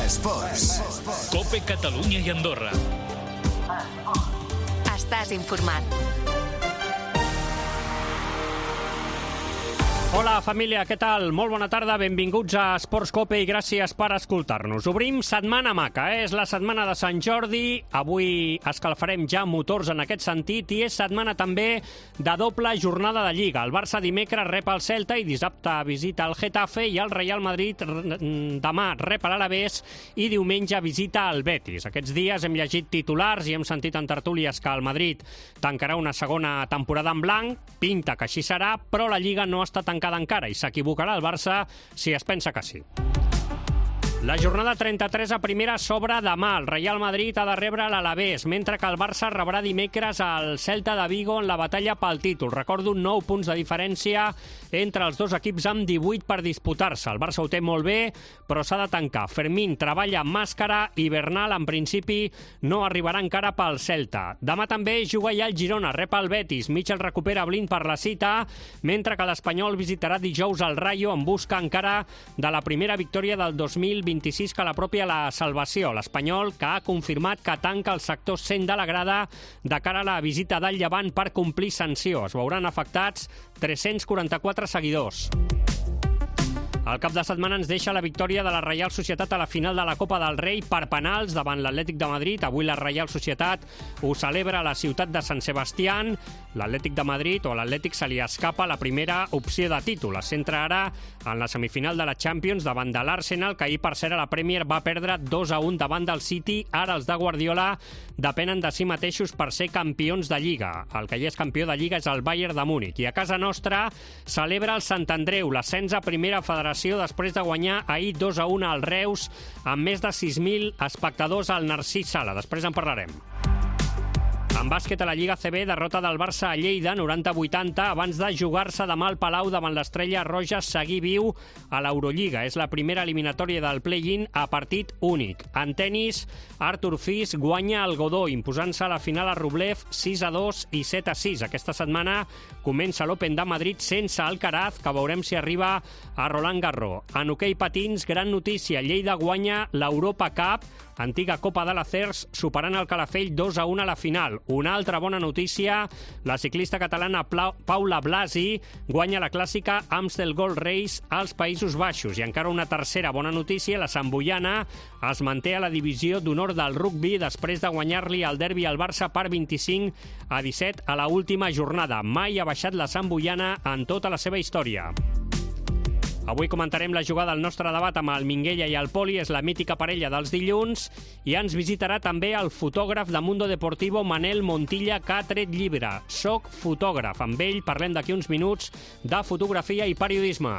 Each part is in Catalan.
Esports. COPE Catalunya i Andorra. Estàs informat. Hola, família, què tal? Molt bona tarda, benvinguts a Esports COPE i gràcies per escoltar-nos. Obrim Setmana Maca, és la setmana de Sant Jordi. Avui escalfarem ja motors en aquest sentit i és setmana també de doble jornada de Lliga. El Barça dimecres rep el Celta i dissabte visita el Getafe i el Real Madrid demà rep l'Alavés i diumenge visita el Betis. Aquests dies hem llegit titulars i hem sentit en tertúlies que el Madrid tancarà una segona temporada en blanc. Pinta que així serà, però la Lliga no està tancada encara i s'equivocarà el Barça si es pensa que sí. La jornada 33 a primera s'obre demà. El Real Madrid ha de rebre l'Alavés, mentre que el Barça rebrà dimecres al Celta de Vigo en la batalla pel títol. Recordo 9 punts de diferència entre els dos equips amb 18 per disputar-se. El Barça ho té molt bé, però s'ha de tancar. Fermín treballa amb màscara i Bernal, en principi, no arribarà encara pel Celta. Demà també juga ja el Girona, rep el Betis. Mitchell recupera Blind per la cita, mentre que l'Espanyol visitarà dijous el Rayo en busca encara de la primera victòria del 2026 que la pròpia la salvació. L'Espanyol, que ha confirmat que tanca el sector 100 de la grada de cara a la visita del Llevant per complir sanció. Es veuran afectats 344 seguidors. El cap de setmana ens deixa la victòria de la Reial Societat a la final de la Copa del Rei per penals davant l'Atlètic de Madrid. Avui la Reial Societat ho celebra a la ciutat de Sant Sebastián. L'Atlètic de Madrid o l'Atlètic se li escapa la primera opció de títol. Es centra ara en la semifinal de la Champions davant de l'Arsenal, que ahir, per cert, a la Premier va perdre 2-1 davant del City. Ara els de Guardiola depenen de si mateixos per ser campions de Lliga. El que ja és campió de Lliga és el Bayern de Múnich. I a casa nostra celebra el Sant Andreu l'ascens a primera federació després de guanyar ahir 2-1 al Reus amb més de 6.000 espectadors al Narcís Sala. Després en parlarem. En bàsquet a la Lliga CB, derrota del Barça a Lleida, 90-80, abans de jugar-se demà al Palau davant l'Estrella Roja, seguir viu a l'Eurolliga. És la primera eliminatòria del play-in a partit únic. En tenis, Artur Fis guanya el Godó, imposant-se a la final a Rublev 6-2 i 7-6. Aquesta setmana comença l'Open de Madrid sense Alcaraz, que veurem si arriba a Roland Garros. En hoquei patins, gran notícia, Lleida guanya l'Europa Cup, antiga Copa de la CERS, superant el Calafell 2-1 a la final. Una altra bona notícia, la ciclista catalana Paula Blasi guanya la clàssica Amstel Gold Race als Països Baixos. I encara una tercera bona notícia, la Santboiana es manté a la divisió d'honor del rugbi després de guanyar-li el derbi al Barça per 25-17 a la última jornada. Mai ha baixat la Santboiana en tota la seva història. Avui comentarem la jugada al nostre debat amb el Minguella i el Poli, és la mítica parella dels dilluns, i ens visitarà també el fotògraf de Mundo Deportivo, Manel Montilla, que ha tret llibre. Soc fotògraf. Amb ell parlem d'aquí uns minuts de fotografia i periodisme.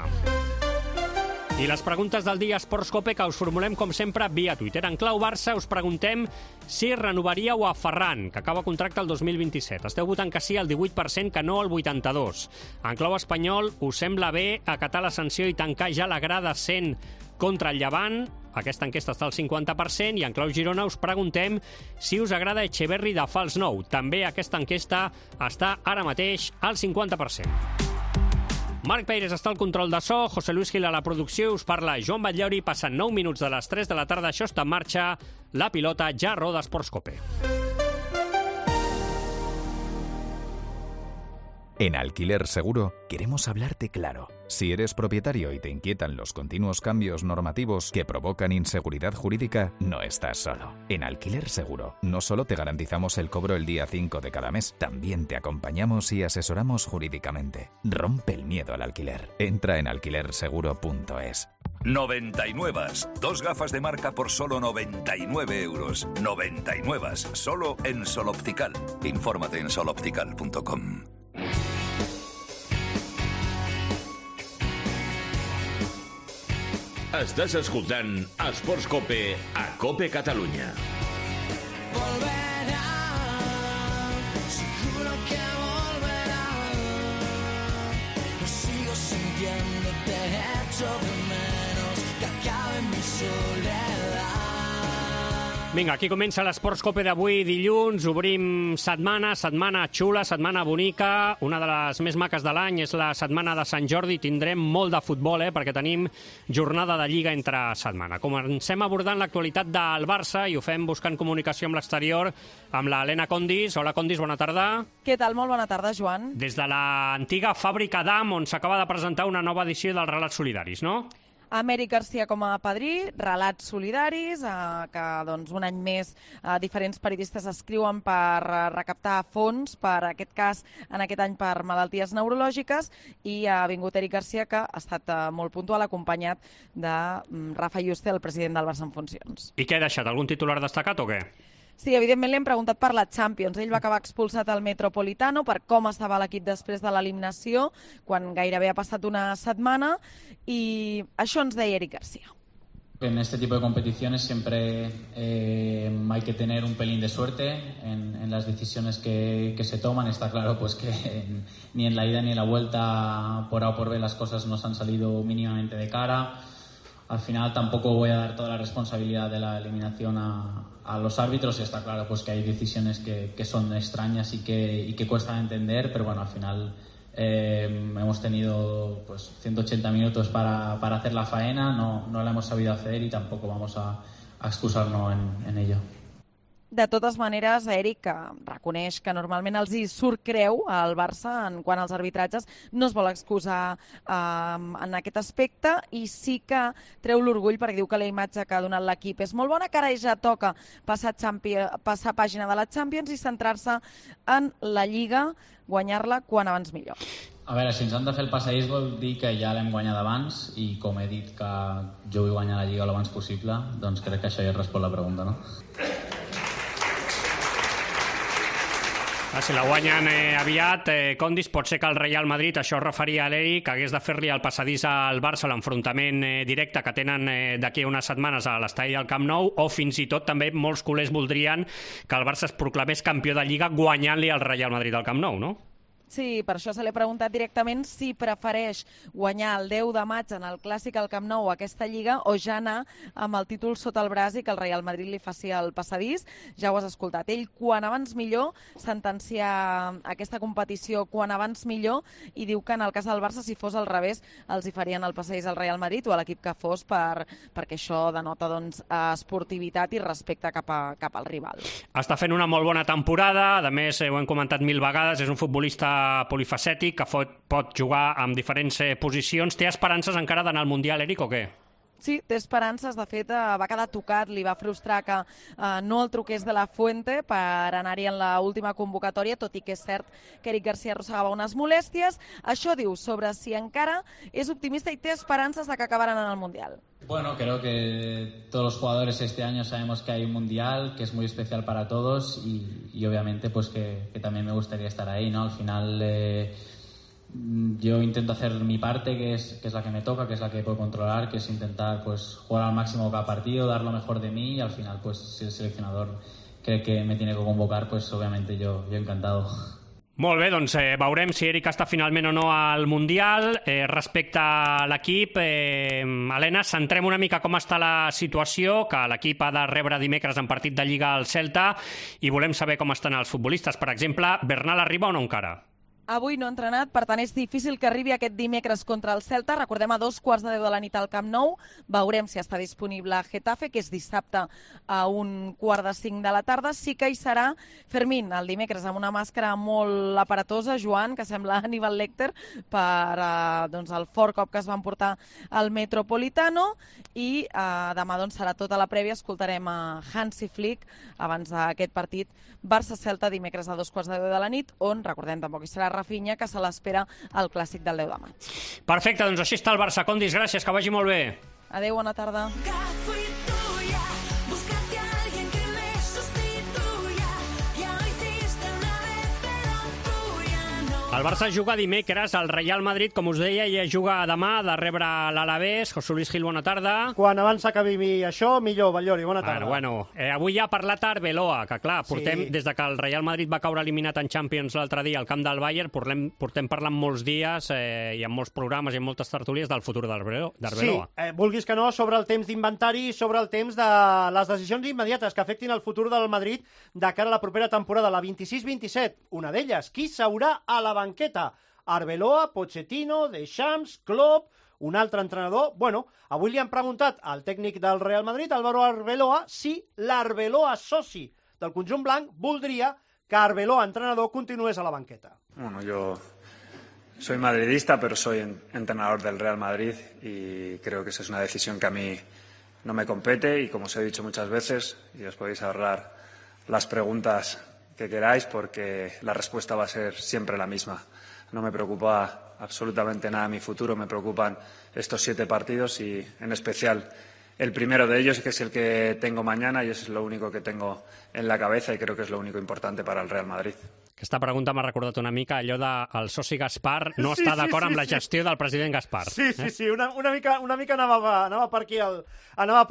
I les preguntes del dia Esports COPE que us formulem, com sempre, via Twitter. En clau Barça us preguntem si renovaríeu a Ferran, que acaba contracte el 2027. Esteu votant que sí al 18%, que no al 82%. En clau espanyol, us sembla bé acatar la sanció i tancar ja la grada 100 contra el Llevant? Aquesta enquesta està al 50%. I en clau Girona us preguntem si us agrada Echeverri de fals nou. També aquesta enquesta està ara mateix al 50%. Marc Peires està al control de so, José Luis Gil a la producció, us parla Joan Batllauri, passen 9 minuts de les 3 de la tarda, això està en marxa, la pilota ja roda Esports COPE. En Alquiler Seguro queremos hablarte claro. Si eres propietario y te inquietan los continuos cambios normativos que provocan inseguridad jurídica, no estás solo. En Alquiler Seguro no solo te garantizamos el cobro el día 5 de cada mes, también te acompañamos y asesoramos jurídicamente. Rompe el miedo al alquiler. Entra en alquilerseguro.es. 99. Dos gafas de marca por solo 99 euros. 99. Solo en Sol Optical. Infórmate en soloptical.com. Estàs escoltant Esports COPE a COPE Catalunya. Volverá, seguro que volverá. Lo sigo sintiendo, te echo de menos, que acabe mi soledad. Vinga, aquí comença l'Esports Cope d'avui, dilluns. Obrim setmana xula, setmana bonica. Una de les més maques de l'any és la setmana de Sant Jordi. Tindrem molt de futbol, perquè tenim jornada de Lliga entre setmana. Comencem abordant l'actualitat del Barça i ho fem buscant comunicació amb l'exterior amb l'Helena Condis. Hola, Condis, bona tarda. Què tal? Molt bona tarda, Joan. Des de l'antiga fàbrica d'Am, on s'acaba de presentar una nova edició dels Relats Solidaris, no? Amèric Garcia com a padrí, Relats Solidaris, que doncs, un any més diferents periodistes escriuen per recaptar fons, per aquest cas, en aquest any per malalties neurològiques, i ha vingut Eric Garcia, que ha estat molt puntual, acompanyat de Rafa Yuste, el president del Barça en funcions. I què ha deixat? Algun titular destacat o què? Sí, evidentment li hem preguntat per la Champions. Ell va acabar expulsat al Metropolitano, per com estava l'equip després de l'eliminació, quan gairebé ha passat una setmana, i això ens deia Eric Garcia. En este tipo de competiciones siempre hay que tener un pelín de suerte en las decisiones que se toman. Está claro pues que ni en la ida ni en la vuelta por A o por B las cosas nos han salido mínimamente de cara. Al final tampoco voy a dar toda la responsabilidad de la eliminación a los árbitros. Está claro pues que hay decisiones que son extrañas y que cuestan entender, pero bueno, al final hemos tenido pues 180 minutos para hacer la faena, no la hemos sabido hacer y tampoco vamos a excusarnos en ello. De totes maneres, Eric reconeix que normalment els hi surt creu al Barça en quant als arbitratges, no es vol excusar en aquest aspecte i sí que treu l'orgull perquè diu que la imatge que ha donat l'equip és molt bona, que ara ja toca passar pàgina de la Champions i centrar-se en la Lliga, guanyar-la quan abans millor. A veure, si ens han de fer el passadís vol dir que ja l'hem guanyat abans i com he dit que jo vull guanyar la Lliga l'abans possible, doncs crec que això ja respon la pregunta, no? Si la guanyen aviat, Condis, pot ser que el Real Madrid, això es referia a l'Eric, hagués de fer-li el passadís al Barça, l'enfrontament directe que tenen d'aquí a unes setmanes a l'estadi del Camp Nou, o fins i tot també molts culers voldrien que el Barça es proclamés campió de Lliga guanyant-li al Real Madrid al Camp Nou, no? Sí, per això se l'he preguntat directament si prefereix guanyar el 10 de maig en el Clàssic al Camp Nou aquesta Lliga o ja anar amb el títol sota el braç i que el Real Madrid li faci el passadís. Ja ho has escoltat. Ell, quan abans millor, sentencia aquesta competició quan abans millor i diu que en el cas del Barça, si fos al revés, els hi farien el passadís al Real Madrid o a l'equip que fos perquè això denota doncs, esportivitat i respecte cap al rival. Està fent una molt bona temporada, a més ho hem comentat 1000 vegades, és un futbolista polifacètic que pot jugar en diferents posicions. Té esperances encara d'anar al Mundial, Eric, o què? Sí, té esperances. De fet, va quedar tocat, li va frustrar que no el truqués de la Fuente per anar-hi en l'última convocatòria, tot i que és cert que Eric Garcia arrossegava unes molèsties. Això diu sobre si encara és optimista i té esperances de que acabaran en el Mundial. Bueno, creo que todos los jugadores este año sabemos que hay un Mundial, que es muy especial para todos y obviamente pues que también me gustaría estar ahí, ¿no? Al final yo intento hacer mi parte, que es la que me toca, que es la que puedo controlar, que es intentar pues jugar al máximo cada partido, dar lo mejor de mí y al final pues si el seleccionador cree que me tiene que convocar, pues obviamente yo encantado. Molt bé, doncs veurem si Eric està finalment o no al Mundial. Respecte a l'equip, Helena, centrem una mica com està la situació, que l'equip ha de rebre dimecres en partit de Lliga al Celta i volem saber com estan els futbolistes. Per exemple, Bernal arriba o no encara? Avui no ha entrenat, per tant és difícil que arribi aquest dimecres contra el Celta. Recordem, a 2:15 de la nit al Camp Nou. Veurem si està disponible a Getafe, que és dissabte a 4:45 de la tarda. Sí que hi serà Fermín el dimecres amb una màscara molt aparatosa, Joan, que sembla Aníbal Lecter, per el fort cop que es van portar al Metropolitano. I demà serà tota la prèvia. Escoltarem a Hansi Flick abans d'aquest partit Barça-Celta dimecres a 2:15 de la nit, on, recordem, tampoc hi serà Rafinha, que se l'espera al Clàssic del 10 de maig. Perfecte, doncs així està el Barça. Condis, gràcies, que vagi molt bé. Adéu, bona tarda. El Barça juga dimecres, el Real Madrid, com us deia, ja juga demà de rebre l'Alavés. José Luis Gil, bona tarda. Quan abans acabi això, millor, Batllori, bona tarda. Avui ja ha parlat Arbeloa, que clar, portem, des de que el Real Madrid va caure eliminat en Champions l'altre dia al camp del Bayern, portem parlant molts dies i en molts programes i en moltes tertúlies del futur d'Arbeloa. Sí, vulguis que no, sobre el temps d'inventari i sobre el temps de les decisions immediates que afectin el futur del Madrid de cara a la propera temporada, la 26-27. Una d'elles, qui s'haurà a la banqueta? Arbeloa, Pochettino, Deschamps, Klopp, un altre entrenador. Bueno, avui li han preguntat al tècnic del Real Madrid, Álvaro Arbeloa, si l'Arbeloa soci del conjunt blanc voldria que Arbeloa, entrenador, continués a la banqueta. Bueno, yo soy madridista, pero soy entrenador del Real Madrid y creo que esa es una decisión que a mí no me compete y, como os he dicho muchas veces, y os podéis ahorrar las preguntas que queráis porque la respuesta va a ser siempre la misma. No me preocupa absolutamente nada mi futuro, me preocupan estos 7 partidos y en especial el primero de ellos, que es el que tengo mañana y es lo único que tengo en la cabeza y creo que es lo único importante para el Real Madrid. Aquesta pregunta m'ha recordat una mica allò del soci Gaspar no està d'acord amb la gestió del president Gaspar. Sí, una mica anava per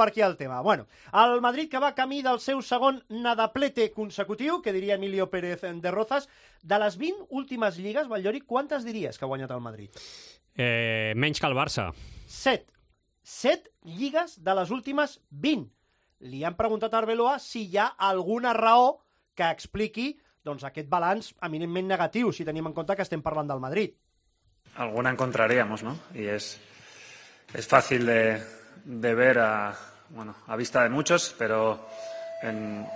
aquí el tema. Bueno, el Madrid que va camí del seu segon nadaplete consecutiu, que diria Emilio Pérez de Rozas, de les 20 últimes lligues, Batllori, quantes diries que ha guanyat el Madrid? Menys que el Barça. 7 lligues de les últimes 20. Li han preguntat a Arbeloa si hi ha alguna raó que expliqui aquest balanç eminentment negatiu, si tenim en compte que estem parlant del Madrid. Alguna encontraríamos, ¿no? Y es fácil de ver a vista de muchos, pero en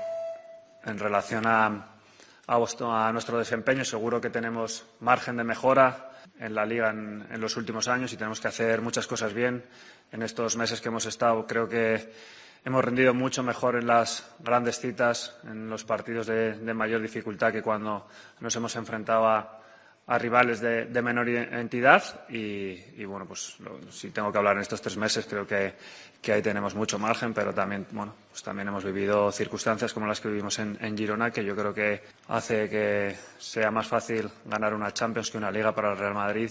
relación a nuestro desempeño seguro que tenemos margen de mejora en la Liga en los últimos años y tenemos que hacer muchas cosas bien. En estos meses que hemos estado creo que hemos rendido mucho mejor en las grandes citas, en los partidos de mayor dificultad que cuando nos hemos enfrentado a rivales de menor entidad y bueno, pues si tengo que hablar en estos 3 meses creo que ahí tenemos mucho margen, pero también, bueno, pues también hemos vivido circunstancias como las que vivimos en Girona, que yo creo que hace que sea más fácil ganar una Champions que una Liga para el Real Madrid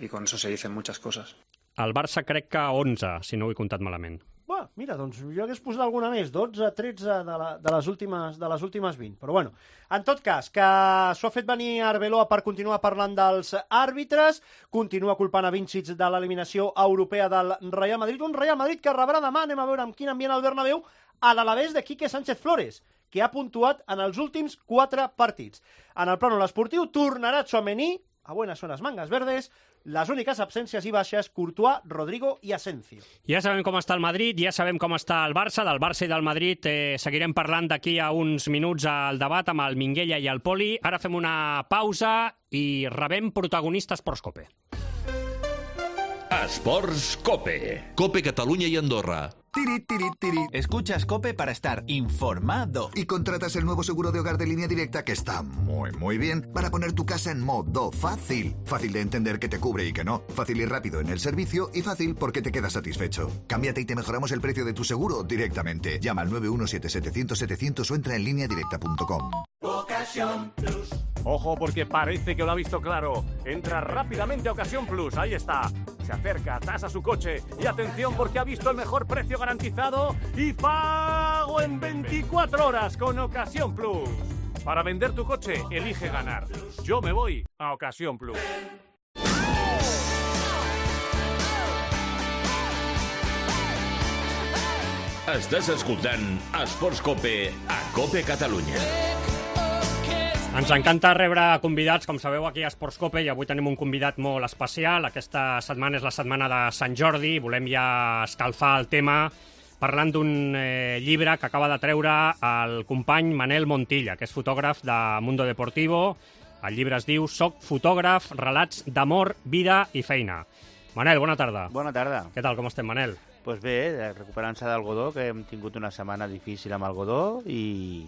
y con eso se dicen muchas cosas. El Barça crec que 11, si no ho he comptat malament. Bueno, mira, doncs jo hagués posat alguna més, 12, 13 de les últimes 20. Però bueno, en tot cas, que s'ho ha fet venir Arbeloa per continuar parlant dels àrbitres, continua culpant a Vincic de l'eliminació europea del Real Madrid, un Real Madrid que rebrà demà, anem a veure amb quin ambient al Bernabéu, a l'Alavés de Quique Sánchez Flores, que ha puntuat en els últims 4 partits. En el plànol esportiu tornarà Tchouaméni, a buenas zonas mangas verdes, les úniques absències i baixes, Courtois, Rodrigo i Asensio. Ja sabem com està el Madrid, ja sabem com està el Barça. Del Barça i del Madrid seguirem parlant d'aquí a uns minuts al debat amb el Minguella i el Poli. Ara fem una pausa i rebem protagonistes Esports Cope. Esports Cope. Cope Catalunya i Andorra. Tiri, tiri, tiri. Escuchas COPE para estar informado. Y contratas el nuevo seguro de hogar de Línea Directa que está muy bien para poner tu casa en modo fácil. Fácil de entender que te cubre y que no. Fácil y rápido en el servicio y fácil porque te quedas satisfecho. Cámbiate y te mejoramos el precio de tu seguro directamente. Llama al 917-700-700 o entra en lineadirecta.com. Ocasión Plus. Ojo porque parece que lo ha visto claro. Entra rápidamente a Ocasión Plus, ahí está. Se acerca, tasa su coche y atención porque ha visto el mejor precio garantizado y pago en 24 horas con Ocasión Plus. Para vender tu coche, elige ganar. Yo me voy a Ocasión Plus. Estàs escoltant Esports Cope a Cope Catalunya. Ens encanta rebre convidats, com sabeu, aquí a Esports Cope, i avui tenim un convidat molt especial. Aquesta setmana és la setmana de Sant Jordi. Volem ja escalfar el tema parlant d'un llibre que acaba de treure el company Manel Montilla, que és fotògraf de Mundo Deportivo. El llibre es diu Soc fotògraf, relats d'amor, vida i feina. Manel, bona tarda. Bona tarda. Què tal, com estem, Manel? Doncs bé, recuperant-se del Godó, que hem tingut una setmana difícil amb el Godó i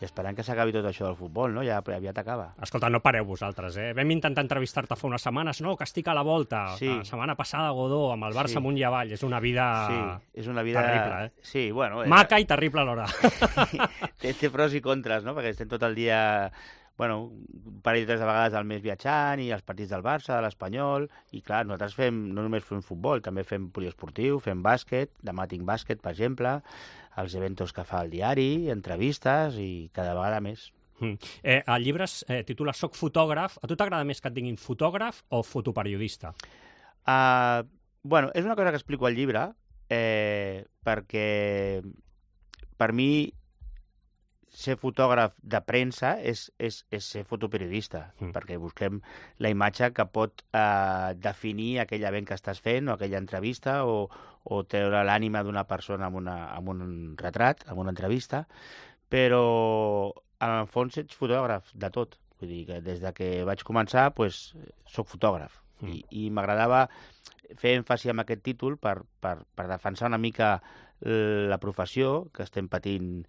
esperant que s'acabi tot això del futbol, no? Ja aviat acaba. Escolta, no pareu vosaltres, eh? Vam intentar entrevistar-te fa unes setmanes, no? Que estic a la volta. Sí. La setmana passada a Godó, amb el Barça amunt i avall. És una vida... Sí, és una vida... terrible, eh? Sí, bueno... Maca i terrible alhora. té pros i contres, no? Perquè estem tot el dia bueno, un parell o tres de vegades al mes viatjant, i els partits del Barça, de l'Espanyol, i clar, nosaltres no només fem futbol, també fem poliesportiu, fem bàsquet, demà tinc bàsquet, per exemple, els eventos que fa el diari, entrevistes, i cada vegada més. El llibre es titula Soc fotògraf. A tu t'agrada més que et diguin fotògraf o fotoperiodista? Bueno, és una cosa que explico al llibre, perquè per mi ser fotògraf de premsa és ser fotoperiodista, perquè busquem la imatge que pot definir aquell event que estàs fent o aquella entrevista o treure l'ànima d'una persona amb un retrat, amb una entrevista, però en el fons ets fotògraf de tot. Vull dir que des que vaig començar soc fotògraf i m'agradava fer èmfasi en aquest títol per defensar una mica la professió, que estem patint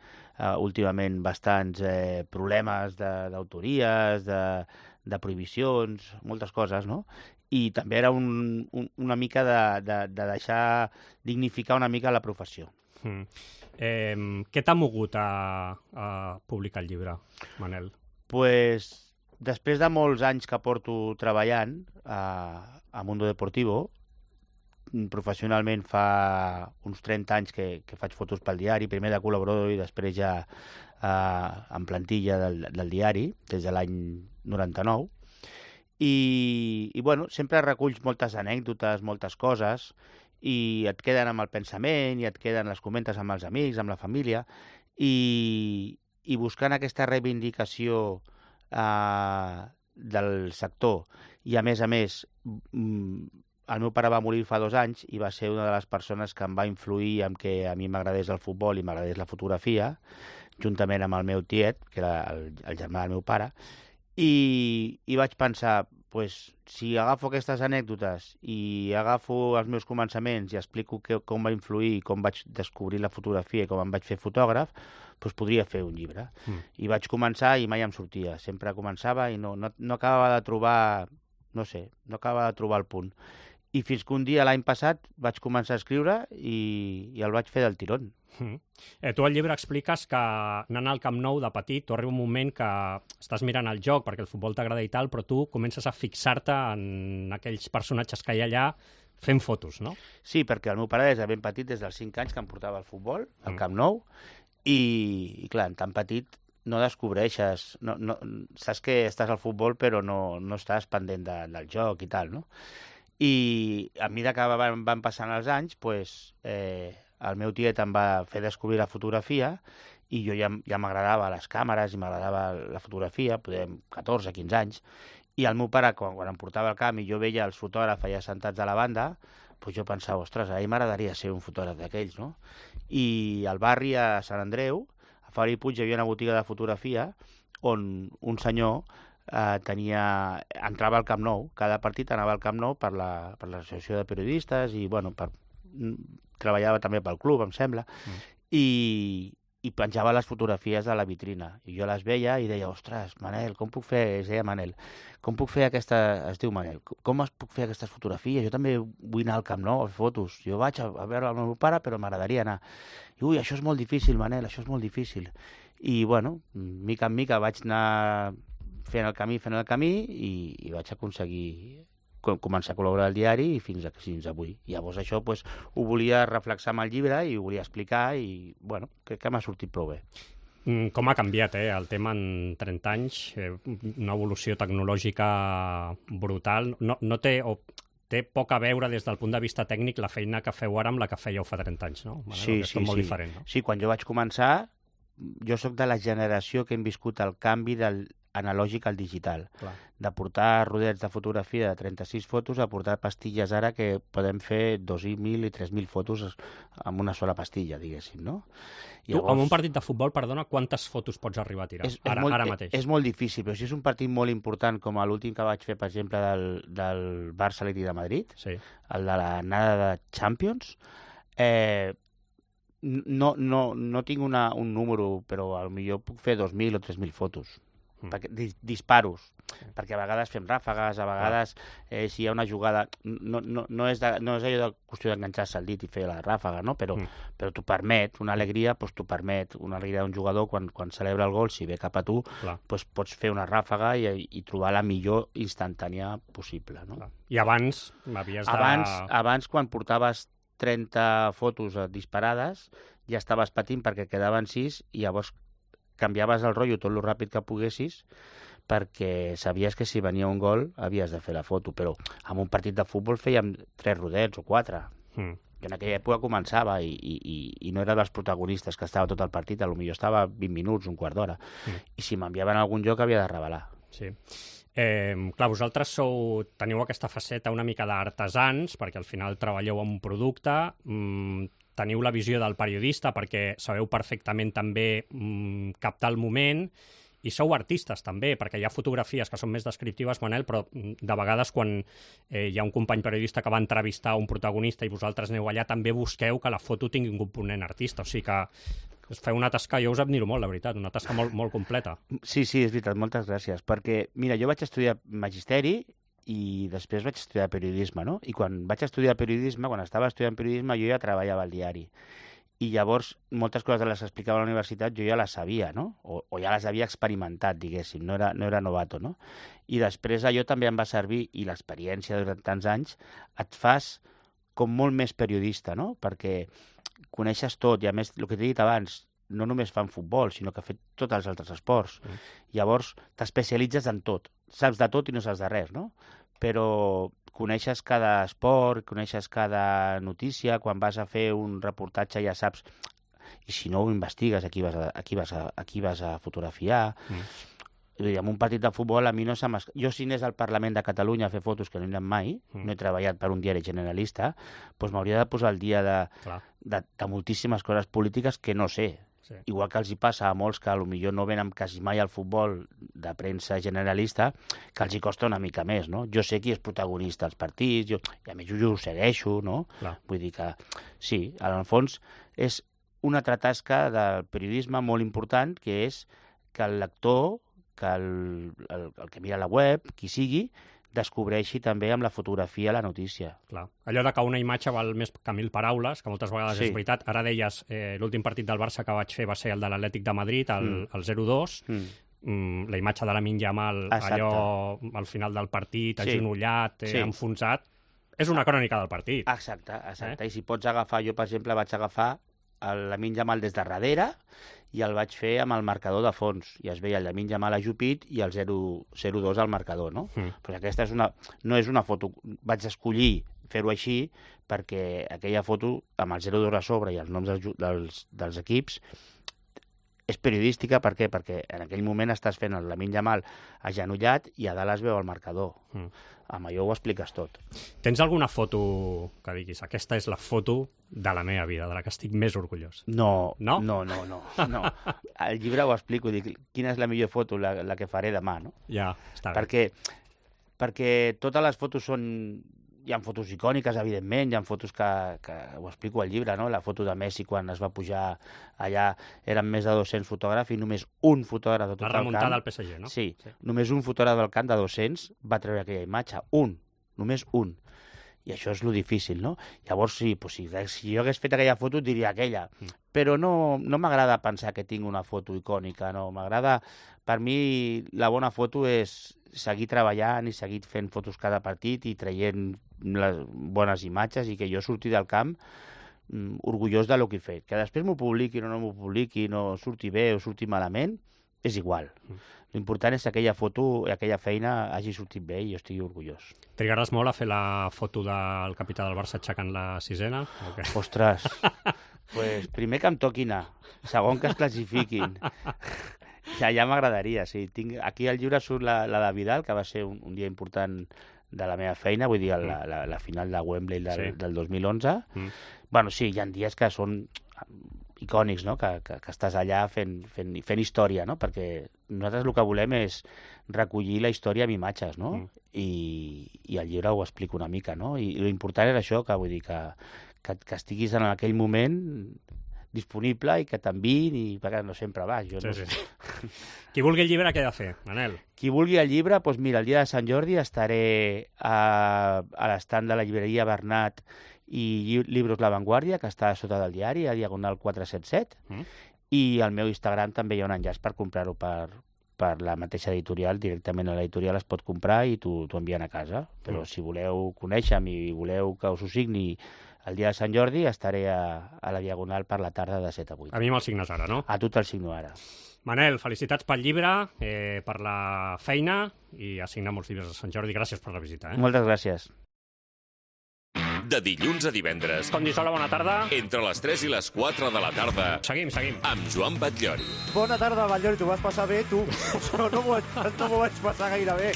últimament bastants problemes d'autories, de prohibicions, moltes coses, no? I també era una mica de deixar dignificar una mica la professió. Què t'ha mogut a publicar el llibre, Manel? Després de molts anys que porto treballant a Mundo Deportivo, professionalment fa uns 30 anys que faig fotos pel diari, primer de col·laborador i després ja en plantilla del diari, des de l'any 99. I bueno, sempre reculls moltes anècdotes, moltes coses, i et queden amb el pensament, i et queden, les comentes amb els amics, amb la família, i buscant aquesta reivindicació del sector, i a més, el meu pare va morir fa 2 anys i va ser una de les persones que em va influir en que a mi m'agradés el futbol i m'agradés la fotografia, juntament amb el meu tiet, que era el germà del meu pare, i vaig pensar, si agafo aquestes anècdotes i agafo els meus començaments i explico com va influir, com vaig descobrir la fotografia i com em vaig fer fotògraf, podria fer un llibre. I vaig començar i mai em sortia. Sempre començava i no acabava de trobar, no acabava de trobar el punt. I fins que un dia, l'any passat, vaig començar a escriure i el vaig fer del tirón. Tu al llibre expliques que anant al Camp Nou de petit, tu arriba un moment que estàs mirant el joc perquè el futbol t'agrada i tal, però tu comences a fixar-te en aquells personatges que hi ha allà fent fotos, no? Sí, perquè el meu pare des de ben petit, des dels 5 anys que em portava al futbol, al Camp Nou, i clar, tan petit no descobreixes, saps que estàs al futbol però no estàs pendent del joc i tal, no? I a mesura que van passant els anys, el meu tiet em va fer descobrir la fotografia i jo ja m'agradava les càmeres i m'agradava la fotografia, 14, 15 anys, i el meu pare, quan em portava al camp i jo veia els fotògrafs allà sentats a la banda, jo pensava, ostres, a mi m'agradaria ser un fotògraf d'aquells, no? I al barri, a Sant Andreu, a Fabri Puig, hi havia una botiga de fotografia on un senyor entrava al Camp Nou, cada partit anava al Camp Nou per l'associació de periodistes i, treballava també pel club, em sembla, i penjava les fotografies de la vitrina. I jo les veia i deia, ostres, Manel, com puc fer, es deia Manel, com puc fer es diu Manel, com puc fer aquestes fotografies? Jo també vull anar al Camp Nou a fer fotos. Jo vaig a veure el meu pare, però m'agradaria anar. I, això és molt difícil, Manel, això és molt difícil. I, mica en mica vaig anar fent el camí i vaig aconseguir començar a col·laborar al diari i fins avui. Llavors això ho volia reflexar amb el llibre i ho volia explicar i, crec que m'ha sortit prou bé. Com ha canviat el tema en 30 anys? Una evolució tecnològica brutal. No té poc a veure des del punt de vista tècnic la feina que feu ara amb la que fèieu fa 30 anys, no? Sí. És molt diferent, no? Sí, quan jo vaig començar, jo sóc de la generació que hem viscut el canvi del analògic al digital. Clar. De portar rodets de fotografia de 36 fotos a portar pastilles ara que podem fer 2.000 i 3.000 fotos amb una sola pastilla, diguéssim, no? Tu, amb un partit de futbol, perdona, quantes fotos pots arribar a tirar ara mateix? És molt difícil, però si és un partit molt important com l'últim que vaig fer, per exemple, del Barça-Atlètic de Madrid, el de l'anada de Champions, no tinc un número, però potser puc fer 2.000 o 3.000 fotos. disparos, perquè a vegades fem ràfegues, a vegades si hi ha una jugada... No és allò de qüestió d'enganxar-se al dit i fer la ràfega, no? Però t'ho permet, una alegria t'ho permet, una alegria d'un jugador quan celebra el gol, si ve cap a tu, pots fer una ràfega i trobar la millor instantània possible, no? I abans havies de... Abans, quan portaves 30 fotos disparades, ja estaves patint perquè quedaven 6 i llavors canviaves el rotllo tot el ràpid que poguessis perquè sabies que si venia un gol havies de fer la foto, però en un partit de futbol fèiem 3 rodets o 4. Jo en aquella època començava i no era dels protagonistes que estava tot el partit, potser estava 20 minuts, un quart d'hora, i si m'enviaven a algun lloc havia de revelar. Sí. Clar, vosaltres teniu aquesta faceta una mica d'artesans, perquè al final treballeu amb un producte, teniu la visió del periodista perquè sabeu perfectament també captar el moment, i sou artistes també, perquè hi ha fotografies que són més descriptives, Manel, però de vegades quan hi ha un company periodista que va entrevistar un protagonista i vosaltres aneu allà, també busqueu que la foto tingui un component artista, o sigui que feu una tasca, jo us admiro molt, la veritat, una tasca molt, molt completa. Sí, és veritat, moltes gràcies, perquè, mira, jo vaig estudiar magisteri i després vaig estudiar periodisme, no? I quan vaig estudiar periodisme, quan estava estudiant periodisme, jo ja treballava al diari. I llavors, moltes coses de les que explicava a la universitat jo ja les sabia, no? O ja les havia experimentat, diguéssim, no era novato, no? I després allò també em va servir, i l'experiència durant tants anys, et fas com molt més periodista, no? Perquè coneixes tot, i a més, el que t'he dit abans, no només fan futbol, sinó que ha fet tots els altres esports. Llavors, t'especialitzes en tot. Saps de tot i no saps de res, no? Però coneixes cada esport, coneixes cada notícia, quan vas a fer un reportatge ja saps, i si no ho investigues, aquí vas a fotografiar. En un partit de futbol a mi no se m'escapa. Jo si anés al Parlament de Catalunya a fer fotos, que no he anat mai, no he treballat per un diari generalista, doncs m'hauria de posar al dia de moltíssimes coses polítiques que no sé. Sí. Igual que els hi passa a molts que potser no venen quasi mai al futbol de premsa generalista, que els hi costa una mica més, no? Jo sé qui és protagonista als partits, i a més jo ho segueixo, no? Clar. Vull dir que sí, en el fons és una altra tasca del periodisme molt important, que és que el lector, que el que mira la web, qui sigui, descobreixi també amb la fotografia la notícia. Clar. Allò de que una imatge val més que 1000 paraules, que moltes vegades és veritat. Ara deies, l'últim partit del Barça que vaig fer va ser el de l'Atlètic de Madrid, el 0-2, la imatge de Lamine Yamal, allò al final del partit, agenollat, enfonsat, és una crònica del partit. Exacte. I si pots agafar, jo per exemple vaig agafar el Lamine Yamal des de darrere i el vaig fer amb el marcador de fons, i es veia el Lamine Yamal ajupit i el 0-2 al marcador, no? Però aquesta no és una foto, vaig escollir fer-ho així perquè aquella foto amb el 0-2 a sobre i els noms dels equips és periodística. Per què? Perquè en aquell moment estàs fent el Lamine Yamal agenollat i a dalt es veu el marcador. Amb allò ho expliques tot. Tens alguna foto que diguis, aquesta és la foto de la meva vida, de la que estic més orgullós? No. Al llibre ho explico, dic, quina és la millor foto, la que faré demà, no? Ja, està bé. Perquè totes les fotos són... Hi ha fotos icòniques, evidentment, hi ha fotos que ho explico al llibre, no? La foto de Messi quan es va pujar allà, eren més de 200 fotògrafs i només un fotògraf de tot el camp... La remuntada al PSG, no? Sí, només un fotògraf del camp de 200 va treure aquella imatge, només un. I això és lo difícil, no? Llavors, sí, si jo hagués fet aquella foto, diria aquella. Però no m'agrada pensar que tinc una foto icònica, no. M'agrada... Per mi, la bona foto és seguir treballant i seguir fent fotos cada partit i traient les bones imatges i que jo surti del camp orgullós de lo que he fet. Que després m'ho publiquin o no m'ho publiquin, o surti bé o surti malament, és igual. L'important és que aquella foto i aquella feina hagi sortit bé i jo estigui orgullós. Trigaràs molt a fer la foto del capità del Barça aixecant la sisena? Ostres, pues primer que em toqui anar, segon que es classifiquin. Ja m'agradaria, sí. Aquí al llibre surt la de Vidal, que va ser un dia important de la meva feina, vull dir, la final de Wembley del 2011. Bueno, sí, hi ha dies que són icònics, no? Que estàs allà fent història, no? Perquè nosaltres el que volem és recollir la història amb imatges, no? I al llibre ho explico una mica, no? I l'important era això, que vull dir que estiguis en aquell moment disponible i que t'enviïn, i perquè no sempre vas. Jo sí. Qui vulgui el llibre, què ha de fer, Manel? Qui vulgui el llibre, doncs mira, el dia de Sant Jordi estaré a l'estand de la llibreria Bernat i Libros La Vanguardia, que està sota del diari, a Diagonal 477, i al meu Instagram també hi ha un enllaç per comprar-ho per la mateixa editorial, directament a l'editorial es pot comprar i t'ho envien a casa. Però si voleu conèixer-me i voleu que us ho signi el dia de Sant Jordi, estaré a la Diagonal per la tarda de 7 a 8. A mi me'l signes ara, no? A tu te'l signo ara. Manel, felicitats pel llibre, per la feina i a signar molts llibres de Sant Jordi. Gràcies per la visita. Moltes gràcies. De dilluns a divendres. Condisola, bona tarda. Entre les 3 i les 4 de la tarda. Seguim. Amb Joan Batllori. Bona tarda, Batllori, t'ho vas passar bé, tu? No m'ho vaig passar gaire bé.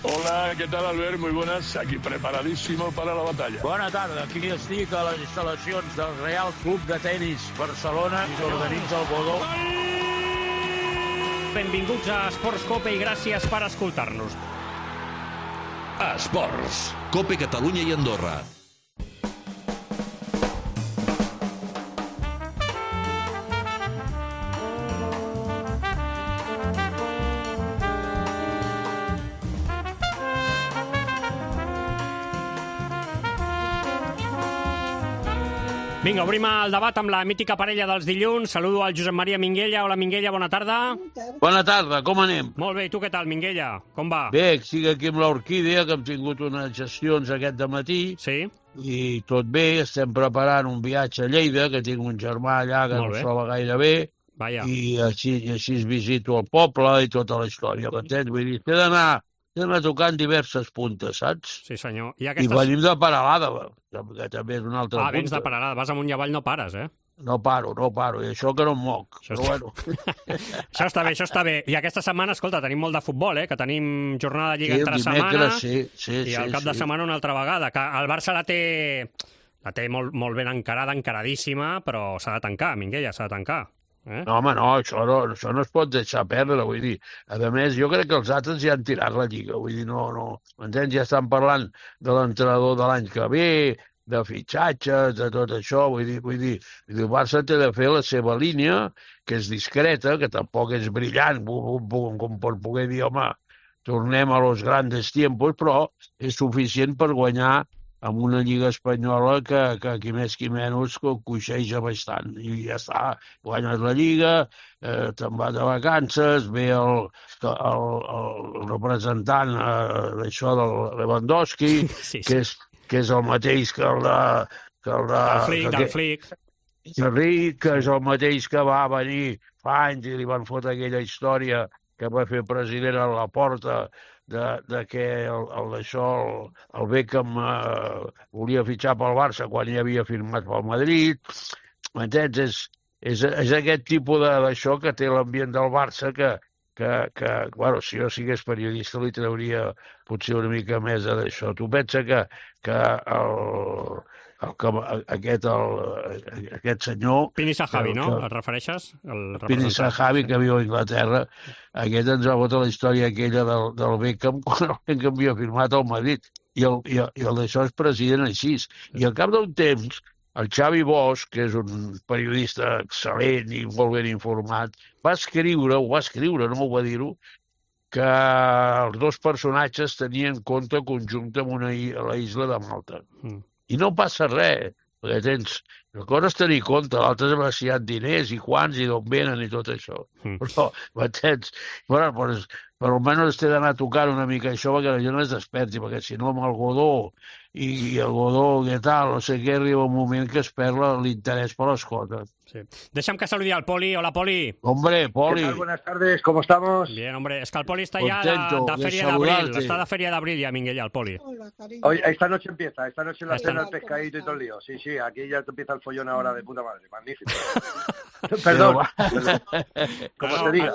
Hola, ¿qué tal, Albert? Muy buenas. Aquí preparadísimo para la batalla. Bona tarda. Aquí estic a les instal·lacions del Real Club de Tenis Barcelona i s'organitza el Godó. Benvinguts a Esports Cope i gràcies per escoltar-nos. Esports. Cope Catalunya i Andorra. Vinga, obrim el debat amb la mítica parella dels dilluns. Saludo al Josep Maria Minguella. Hola, Minguella, bona tarda. Bona tarda, com anem? Molt bé, i tu què tal, Minguella? Com va? Bé, estic aquí amb l'Orquídea, que hem tingut unes gestions aquest dematí. Sí. I tot bé, estem preparant un viatge a Lleida, que tinc un germà allà que no es troba gaire bé. Vaja. I així visito el poble i tota la història. M'entens? Vull dir, he d'anar tocant diverses puntes, saps? Sí, senyor. I venim de Peralada, que també és una altra punta. Vens de Peralada, vas amunt i avall, no pares, eh? No paro, i això que no em moc, però bueno. Això està bé. I aquesta setmana, escolta, tenim molt de futbol, que tenim jornada de Lliga entre setmana, i al cap de setmana una altra vegada, que el Barça la té molt ben encaradíssima, però s'ha de tancar, Minguella, s'ha de tancar. No, home, no, això no es pot deixar perdre, vull dir. A més, jo crec que els altres ja han tirat la Lliga, vull dir, no. M'entens? Ja estan parlant de l'entrenador de l'any que ve, de fitxatges, de tot això, vull dir, el Barça té de fer la seva línia, que és discreta, que tampoc és brillant, com per poder dir, home, tornem a los grandes tiempos, però és suficient per guanyar amb una Lliga espanyola que qui més qui menys coixeja bastant. I ja està, guanyes la Lliga, te'n vas de vacances, ve el representant d'això del Lewandowski, que és el mateix que el del Flick. Que és el mateix que va venir fa anys i li van fotre aquella història que va fer president a la porta de que el Beckham volia fitxar pel Barça quan ja havia firmat pel Madrid. M'entens? És aquest tipus d'això que té l'ambient del Barça que, bueno, si jo sigués periodista li trauria potser una mica més d'això. Tu pensa que aquest senyor... Pini Sahabi, no? Et refereixes? Pini Sahabi, que viu a Anglaterra. Aquest ens va votar la història aquella del Beckham quan el Beckham havia firmat al Madrid. I el d'això és president així. I al cap d'un temps, el Xavi Bosch, que és un periodista excel·lent i molt ben informat, va escriure, no m'ho va dir-ho, que els dos personatges tenien compte conjunt amb la isla de Malta. I no passa res, perquè tens... La cosa és tenir compte, l'altre és si hi ha diners i quants i d'on venen i tot això. Però, m'entens? Però almenys t'he d'anar tocant una mica això perquè la gent es desperti, perquè si no amb el Godó i el Godó, què tal, no sé què, arriba un moment que es perd l'interès per les coses. Sí. Deixa'm que saludi al Poli. Hola, Poli. Hombre, Poli. ¿Qué tal? Buenas tardes, ¿cómo estamos? Bien, hombre, es que el Poli está Contento, ya de Feria de Abril. Está de Feria de Abril ya, Minguella, el Poli. Hoy, esta noche empieza, la cena, el pescadito y todo el lío. Sí, aquí ya empieza el follón ahora de puta madre, magnífico. Perdón. Como se diga.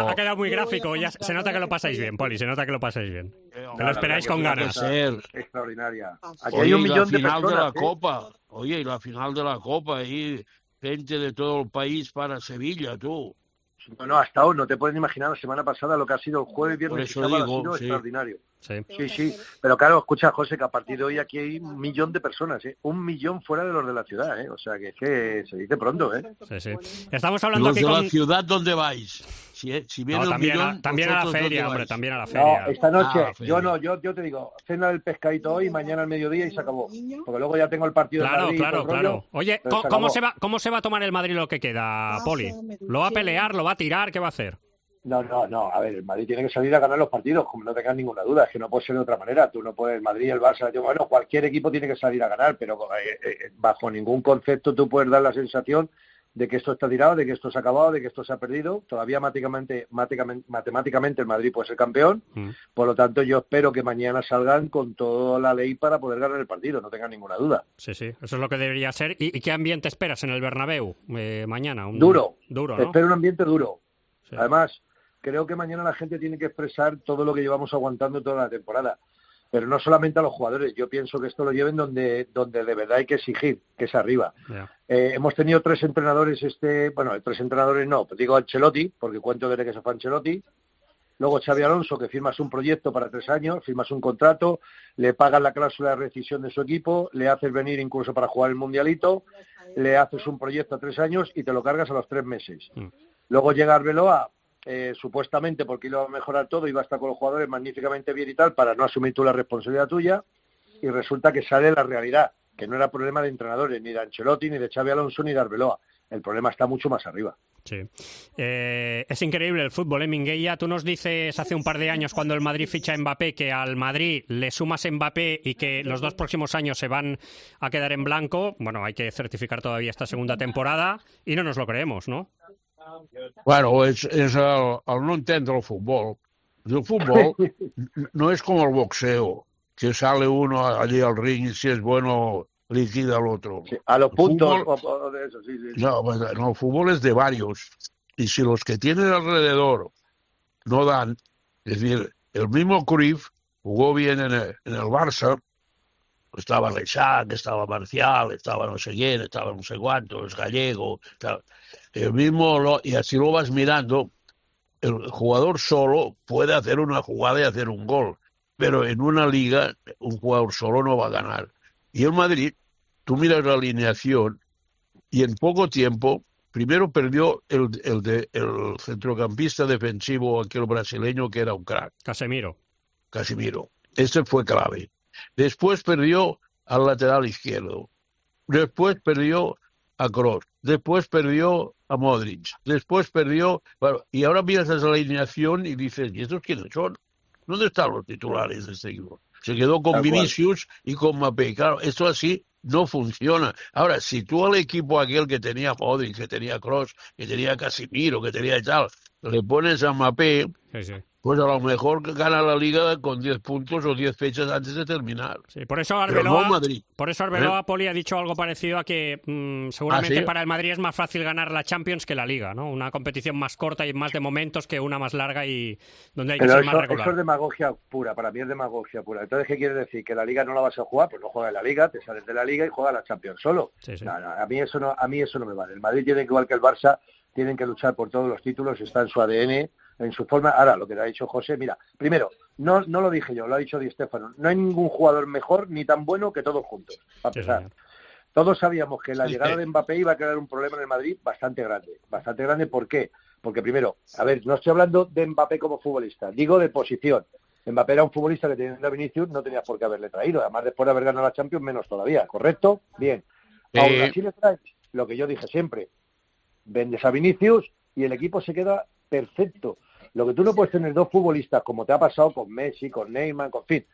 Ha quedado muy gráfico, ya se nota que lo pasáis bien, Poli, se nota que lo pasáis bien. Que lo esperáis con ganas. Extraordinaria. Aquí hay un millón de personas. De la Copa. Oye, y la final de la Copa, ahí gente de todo el país para Sevilla, tú. No, ha estado, no te puedes imaginar la semana pasada lo que ha sido el jueves, Por viernes y eso sábado, digo, ha sido sí. extraordinario. Sí. Sí. Pero claro, escucha, José, que a partir de hoy aquí hay 1 millón de personas, 1 millón fuera de los de la ciudad, O sea, que es que se dice pronto, Sí. Estamos hablando Los aquí de con... la ciudad, ¿dónde vais? Si viene No, un millón, también a la ¿vosotros feria, dónde hombre, vais? también a la feria. No, esta noche, feria. yo te digo, cena del pescadito hoy, mañana al mediodía y se acabó. Porque luego ya tengo el partido de Madrid y todo el rollo, Oye, pero se ¿cómo acabó. se va a tomar el Madrid lo que queda, Poli? ¿Lo va a pelear, lo va a tirar, qué va a hacer? No, a ver, el Madrid tiene que salir a ganar los partidos, como no tengas ninguna duda, es que no puede ser de otra manera. Tú no puedes, el Madrid, el Barça, bueno, cualquier equipo tiene que salir a ganar, pero bajo ningún concepto tú puedes dar la sensación de que esto está tirado, de que esto se ha acabado, de que esto se ha perdido. Todavía matemáticamente el Madrid puede ser campeón, por lo tanto yo espero que mañana salgan con toda la ley para poder ganar el partido, no tengan ninguna duda. Sí, eso es lo que debería ser. ¿Y qué ambiente esperas en el Bernabéu mañana? Duro, ¿no? Espero un ambiente duro. Sí. Además, creo que mañana la gente tiene que expresar todo lo que llevamos aguantando toda la temporada. Pero no solamente a los jugadores. Yo pienso que esto lo lleven donde de verdad hay que exigir, que es arriba. Yeah. Hemos tenido 3 entrenadores, 3 entrenadores no, pues digo Ancelotti, porque cuento desde que se fue Ancelotti. Luego Xabi Alonso, que firmas un proyecto para 3 años, firmas un contrato, le pagas la cláusula de rescisión de su equipo, le haces venir incluso para jugar el Mundialito, le haces un proyecto a 3 años y te lo cargas a los 3 meses. Luego llega Arbeloa, supuestamente porque iba a mejorar todo, iba a estar con los jugadores magníficamente bien y tal, para no asumir tú la responsabilidad tuya, y resulta que sale la realidad, que no era problema de entrenadores, ni de Ancelotti, ni de Xabi Alonso, ni de Arbeloa. El problema está mucho más arriba. Sí. Es increíble el fútbol, Minguella. Tú nos dices hace un par de años, cuando el Madrid ficha a Mbappé, que al Madrid le sumas Mbappé y que los 2 próximos años se van a quedar en blanco. Bueno, hay que certificar todavía esta segunda temporada y no nos lo creemos, ¿no? Bueno, es al no entendre el fútbol. El fútbol no es como el boxeo, que sale uno allí al ring y si es bueno liquida al otro. Sí, a los el puntos fútbol, o de eso, sí. No, el fútbol es de varios. Y si los que tienen alrededor no dan, es decir, el mismo Cruyff jugó bien en el Barça, estaba Leixac, estaba Marcial, estaba no sé quién, estaba no sé cuántos, Gallego, el mismo, y así lo vas mirando, el jugador solo puede hacer una jugada y hacer un gol, pero en una liga un jugador solo no va a ganar. Y el Madrid, tú miras la alineación y en poco tiempo, primero perdió el centrocampista defensivo, aquel brasileño que era un crack. Casemiro. Este fue clave. Después perdió al lateral izquierdo. Después perdió a Kroos. Después perdió a Modric. Después perdió... Bueno, y ahora miras esa alineación y dices, ¿y estos quiénes son? ¿Dónde están los titulares de este equipo? Se quedó con Vinicius y con Mbappé. Claro, esto así no funciona. Ahora, si tú al equipo aquel que tenía Modric, que tenía Kroos, que tenía Casemiro, que tenía tal, le pones a Mbappé... Sí. Pues a lo mejor gana la Liga con 10 puntos o 10 fechas antes de terminar. Sí, por eso Arbeloa, no Poli, ha dicho algo parecido a que seguramente ¿sí? Para el Madrid es más fácil ganar la Champions que la Liga, ¿no? Una competición más corta y más de momentos que una más larga y donde hay que ser más regular. Eso es demagogia pura, para mí es demagogia pura. Entonces, ¿qué quiere decir? ¿Que la Liga no la vas a jugar? Pues no juegas en la Liga, te sales de la Liga y juegas la Champions solo. Sí. No, a mí eso no me vale. El Madrid tiene que, igual que el Barça, tienen que luchar por todos los títulos, está en su ADN, en su forma. Ahora, lo que te ha dicho José, mira, primero, no lo dije yo, lo ha dicho Di Stéfano, no hay ningún jugador mejor ni tan bueno que todos juntos, para empezar. Todos sabíamos que la llegada de Mbappé iba a crear un problema en el Madrid bastante grande. Bastante grande, ¿por qué? Porque primero, a ver, no estoy hablando de Mbappé como futbolista, digo de posición. Mbappé era un futbolista que teniendo a Vinicius no tenías por qué haberle traído, además después de haber ganado la Champions menos todavía, ¿correcto? Bien. Aún así le traes lo que yo dije siempre, vendes a Vinicius y el equipo se queda perfecto. Lo que tú no puedes tener 2 futbolistas, como te ha pasado con Messi, con Neymar, con fin.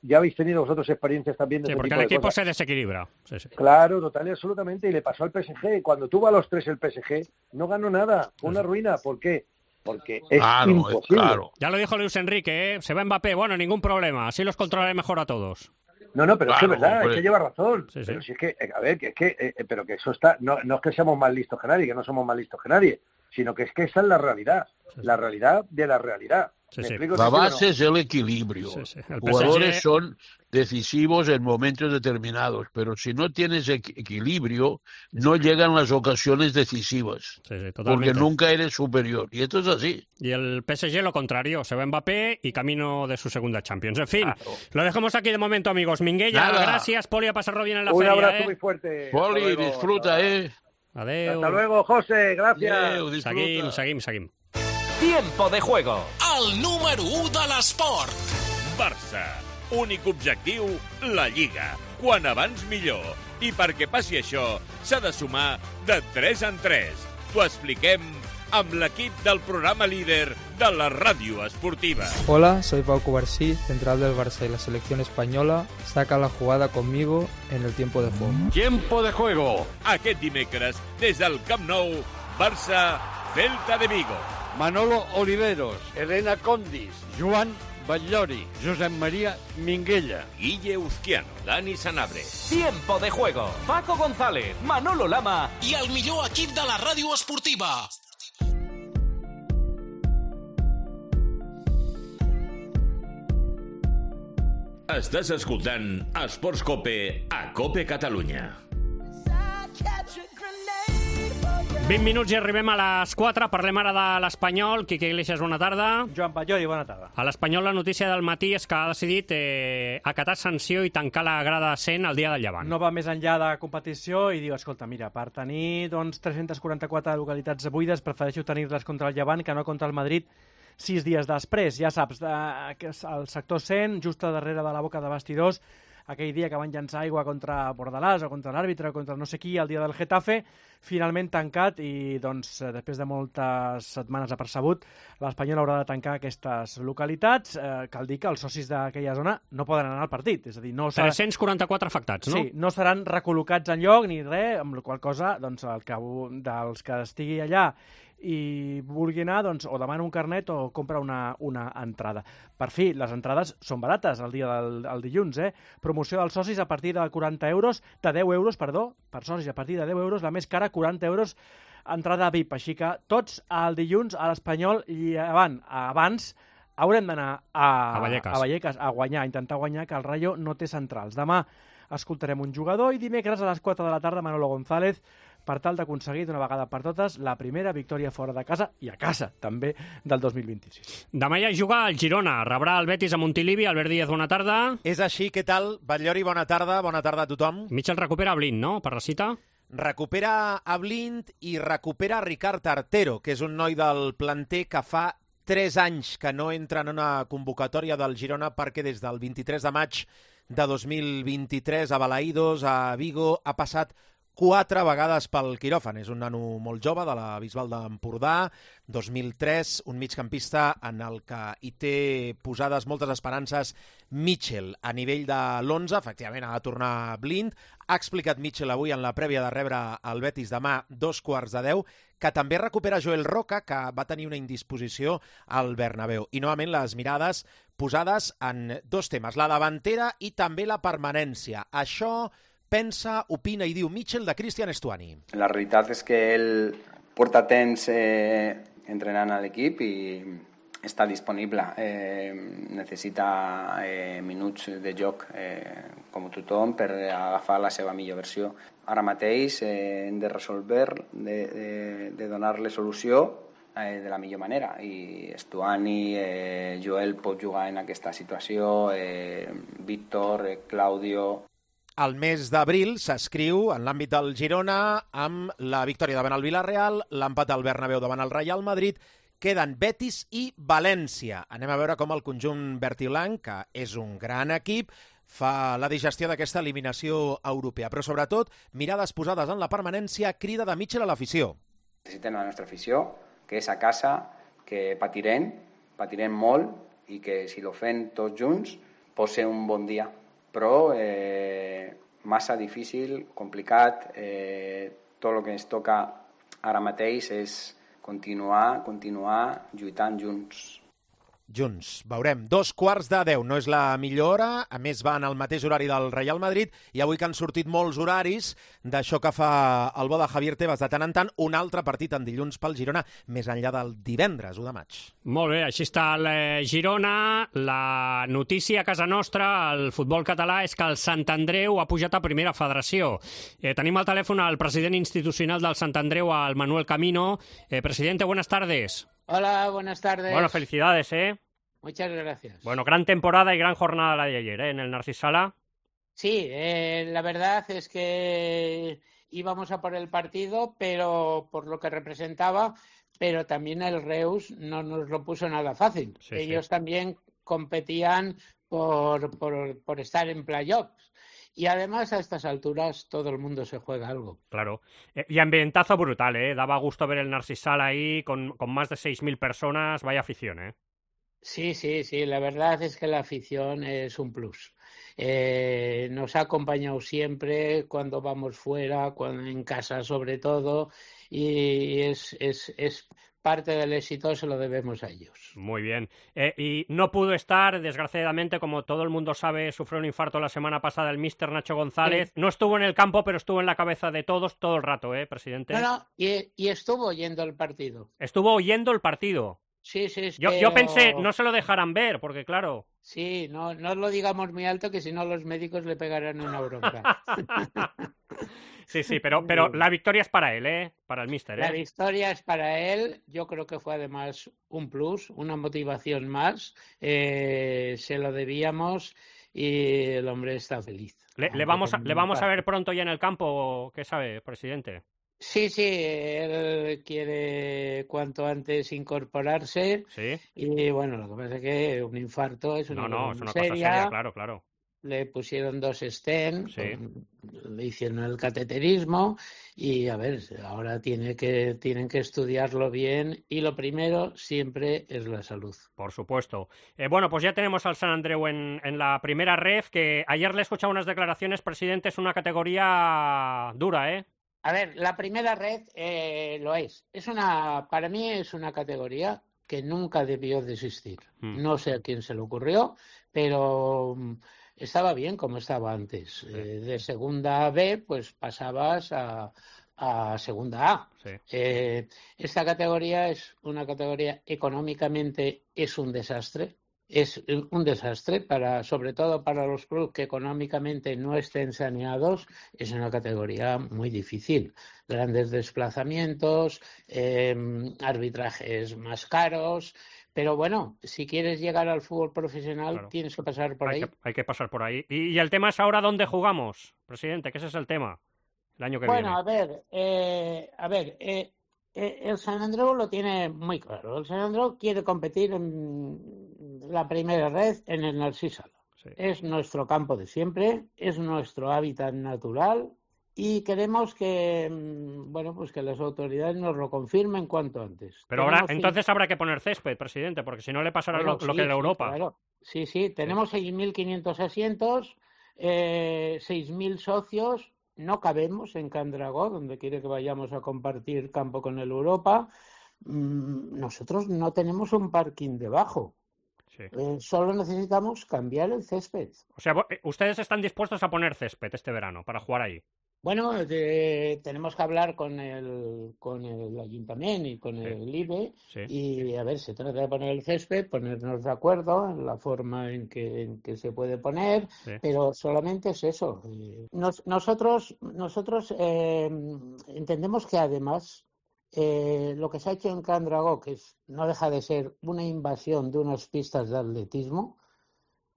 Ya habéis tenido vosotros experiencias también de ese tipo de cosas. Porque el equipo se desequilibra. Sí. Claro, total y absolutamente. Y le pasó al PSG. Cuando tuvo a los 3 el PSG, no ganó nada. Fue una ruina. ¿Por qué? Porque es imposible. Claro. Ya lo dijo Luis Enrique, ¿eh? Se va Mbappé, bueno, ningún problema. Así los controlaré mejor a todos. No, pero es que es verdad, es que lleva razón. Sí. Pero si es que, a ver, pero que eso está, no es que seamos más listos que nadie, que no somos más listos que nadie, sino que es que esa es la realidad de la realidad. Sí, sí. La base es el equilibrio. Sí, sí. El Jugadores PSG... son decisivos en momentos determinados, pero si no tienes equilibrio, no llegan las ocasiones decisivas, Sí, sí, porque totalmente. nunca eres superior. Y esto es así. Y el PSG lo contrario, se va Mbappé y camino de su segunda Champions. En fin, lo dejamos aquí de momento, amigos. Minguella, Nada. gracias, Poli, a pasarlo bien en la Un feria. abrazo muy fuerte. Poli, Hasta luego. disfruta, Adeu. Hasta luego, José. Gracias. Adeu, disfruta. Seguim. Tiempo de juego. El número 1 de l'esport. Barça. Únic objectiu, la Lliga. Quan abans millor. I perquè passi això, s'ha de sumar de 3 en 3. T'ho expliquem amb l'equip del programa líder de la ràdio esportiva. Hola, soy Pau Cubarsí, central del Barça y la selección española saca la jugada conmigo en el tiempo de juego. Tiempo de juego. Aquest dimecres, des del Camp Nou, Barça, Celta de Vigo. Manolo Oliveros, Elena Condis, Joan Batllori, Josep María Minguella. Guille Uzquiano, Dani Sanabria. Tiempo de juego. Paco González, Manolo Lama I el millor equip de la ràdio esportiva. Estàs escoltant Esports Cope a Cope Catalunya. 20 minuts i arribem a les 4. Parlem ara de l'Espanyol. Quique Iglesias, bona tarda. Joan Batllori, bona tarda. A l'Espanyol la notícia del matí és que ha decidit acatar sanció i tancar la grada 100 el dia del Llevant. No va més enllà de competició i diu, escolta, mira, per tenir 344 localitats buides prefereixo tenir-les contra el Llevant que no contra el Madrid 6 dies després. Ja saps, el sector 100, just darrere de la boca de vestidors, aquell dia que van llançar aigua contra Bordalàs o contra l'àrbitre o contra no sé qui el dia del Getafe, finalment tancat i doncs després de moltes setmanes apercebut, l'Espanyol haurà de tancar aquestes localitats. Cal dir que els socis d'aquella zona no poden anar al partit, és a dir, no 344 afectats, no? Sí, no seran recol·locats enlloc ni res, amb la qual cosa doncs, dels que estigui allà i vulgui anar, doncs, o demana un carnet o compra una entrada. Per fi, les entrades són barates el dia del dilluns, Promoció dels socis a partir de 40 euros, de 10 euros, perdó, per socis a partir de 10 euros, la més cara, 40 euros, entrada VIP. Així que tots el dilluns a l'Espanyol Llevant. Abans haurem d'anar a Vallecas a guanyar, a intentar guanyar, que el Rayo no té centrals. Demà escoltarem un jugador i dimecres a les 4 de la tarda Manolo González per tal d'aconseguir d'una vegada per totes la primera victòria fora de casa i a casa, també, del 2026. Demà ja juga el Girona, rebrà el Betis a Montilivi. Albert Díaz, bona tarda. És així, què tal? Batllori, bona tarda a tothom. Mitchell recupera Blind, no?, per la cita? Recupera a Blind i recupera Ricard Artero, que és un noi del planter que fa 3 anys que no entra en una convocatòria del Girona perquè des del 23 de maig de 2023 a Balaïdos, a Vigo, ha passat 4 vegades pel quiròfan. És un nano molt jove de la Bisbal d'Empordà, 2003, un migcampista en el que hi té posades moltes esperances Mitchell. A nivell de l'11, efectivament, ha de tornar Blind. Ha explicat Mitchell avui en la prèvia de rebre el Betis demà 9:45, que també recupera Joel Roca, que va tenir una indisposició al Bernabéu. I novament les mirades posades en 2 temes, la davantera i també la permanència. Això pensa, opina i diu Mitchell de Cristian Estuani. La realitat és que ell porta temps entrenant a l'equip i està disponible. Necessita minuts de joc com tothom per agafar la seva millor versió. Ara mateix hem de resolver, de donar-li solució de la millor manera, i Estuani, Joel pot jugar en aquesta situació, Víctor, Claudio. El mes d'abril s'escriu en l'àmbit del Girona amb la victòria davant el Villarreal, l'empat al Bernabéu davant el Real Madrid, queden Betis i València. Anem a veure com el conjunt verd i blanc, que és un gran equip, fa la digestió d'aquesta eliminació europea. Però sobretot, mirades posades en la permanència, crida de Mitchell a l'afició. Necessitem la nostra afició, que és a casa, que patirem molt i que si lo fem tots junts pot ser un bon dia. Però massa difícil, complicat, tot el que ens toca ara mateix és continuar lluitant junts. junts. Veurem. 2:15. No és la millor hora, a més van al mateix horari del Real Madrid, i avui que han sortit molts horaris d'això que fa el bo de Javier Tebas de tant en tant, un altre partit en dilluns pel Girona, més enllà del divendres, 1 de maig. Molt bé, així està el Girona. La notícia a casa nostra, al futbol català, és que el Sant Andreu ha pujat a primera federació. Tenim al telèfon al president institucional del Sant Andreu, al Manuel Camino. Presidente, buenas tardes. Hola, buenas tardes. Bueno, felicidades, ¿eh? Muchas gracias. Bueno, gran temporada y gran jornada la de ayer, ¿eh? En el Narcís Sala. Sí, la verdad es que íbamos a por el partido, pero por lo que representaba, pero también el Reus no nos lo puso nada fácil. Sí, Ellos sí. también competían por estar en playoffs. Y además, a estas alturas, todo el mundo se juega algo. Claro. Y ambientazo brutal, ¿eh? Daba gusto ver el Narcís Sala ahí con más de 6.000 personas. Vaya afición, ¿eh? Sí, sí, sí. La verdad es que la afición es un plus. Nos ha acompañado siempre cuando vamos fuera, en casa sobre todo, y es parte del éxito, se lo debemos a ellos. Muy bien. Y no pudo estar, desgraciadamente, como todo el mundo sabe, sufrió un infarto la semana pasada el míster Nacho González. Sí. No estuvo en el campo, pero estuvo en la cabeza de todos todo el rato, presidente. No, y estuvo oyendo el partido. Estuvo oyendo el partido. Sí, sí. Yo pensé, no se lo dejarán ver, porque claro... Sí, no lo digamos muy alto, que si no los médicos le pegarán una bronca. Sí, pero la victoria es para él, para el míster. La victoria es para él. Yo creo que fue además un plus, una motivación más. Se lo debíamos y el hombre está feliz. ¿Le vamos a ver pronto ya en el campo? ¿Qué sabe, presidente? Sí, él quiere cuanto antes incorporarse. Sí. Y bueno, lo que pasa es que un infarto es una cosa seria. Seria, claro. Le pusieron 2 stents, sí. Le hicieron el cateterismo y a ver, ahora tienen que estudiarlo bien y lo primero siempre es la salud. Por supuesto. Bueno, pues ya tenemos al Sant Andreu en la primera ref, que ayer le he escuchado unas declaraciones, presidente, es una categoría dura, ¿eh? A ver, la primera red lo es. Para mí es una categoría que nunca debió de existir. No sé a quién se le ocurrió, pero estaba bien como estaba antes. Sí. De segunda B, pues pasabas a segunda A. Sí. Esta categoría es una categoría económicamente es un desastre. Es un desastre, sobre todo para los clubes que económicamente no estén saneados. Es una categoría muy difícil. Grandes desplazamientos, arbitrajes más caros. Pero bueno, si quieres llegar al fútbol profesional, claro, tienes que pasar por ahí. Hay que pasar por ahí. Y el tema es ahora dónde jugamos, presidente, que ese es el tema, el año que viene. Bueno, el Sant Andreu lo tiene muy claro. El Sant Andreu quiere competir en la primera red en el Narcís Sala. Sí. Es nuestro campo de siempre, es nuestro hábitat natural y queremos que, pues que las autoridades nos lo confirmen cuanto antes. Pero entonces habrá que poner césped, presidente, porque si no le pasará lo que en Europa. Claro. Sí, tenemos 6.500 asientos, 6.000 socios. No cabemos en Can Dragó, donde quiere que vayamos a compartir campo con el Europa. Nosotros no tenemos un parking debajo. Sí. Solo necesitamos cambiar el césped. O sea, ustedes están dispuestos a poner césped este verano para jugar ahí. Bueno, tenemos que hablar con el ayuntamiento y con el IBE y a ver, se trata de poner el césped, ponernos de acuerdo en la forma en que se puede poner, pero solamente es eso. Nosotros entendemos que además lo que se ha hecho en Can Dragó, que no deja de ser una invasión de unas pistas de atletismo,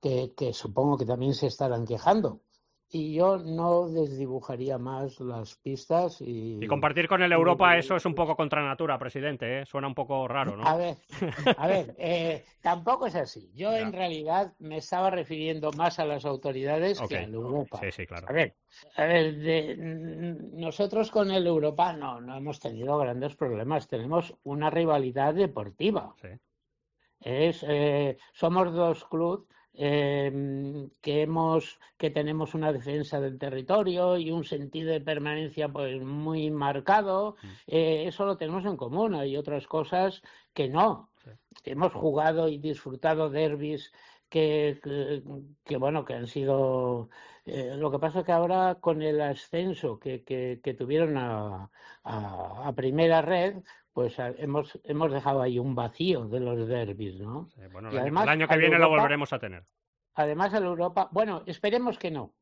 que supongo que también se estarán quejando. Y yo no desdibujaría más las pistas y compartir con el Europa, eso es un poco contra natura, presidente, ¿eh? Suena un poco raro, ¿no? A ver, tampoco es así. Yo en realidad me estaba refiriendo más a las autoridades que al Europa. Sí, claro. A ver, nosotros con el Europa no hemos tenido grandes problemas. Tenemos una rivalidad deportiva. Sí. Somos 2 clubes que tenemos una defensa del territorio y un sentido de permanencia pues muy marcado. Eso lo tenemos en común. Hay otras cosas que no. hemos jugado y disfrutado derbis que han sido... lo que pasa es que ahora con el ascenso que tuvieron a primera red, pues hemos dejado ahí un vacío de los derbis, ¿no? Sí, bueno, y además, el año que viene lo volveremos a tener. Además, al Europa... Bueno, esperemos que no,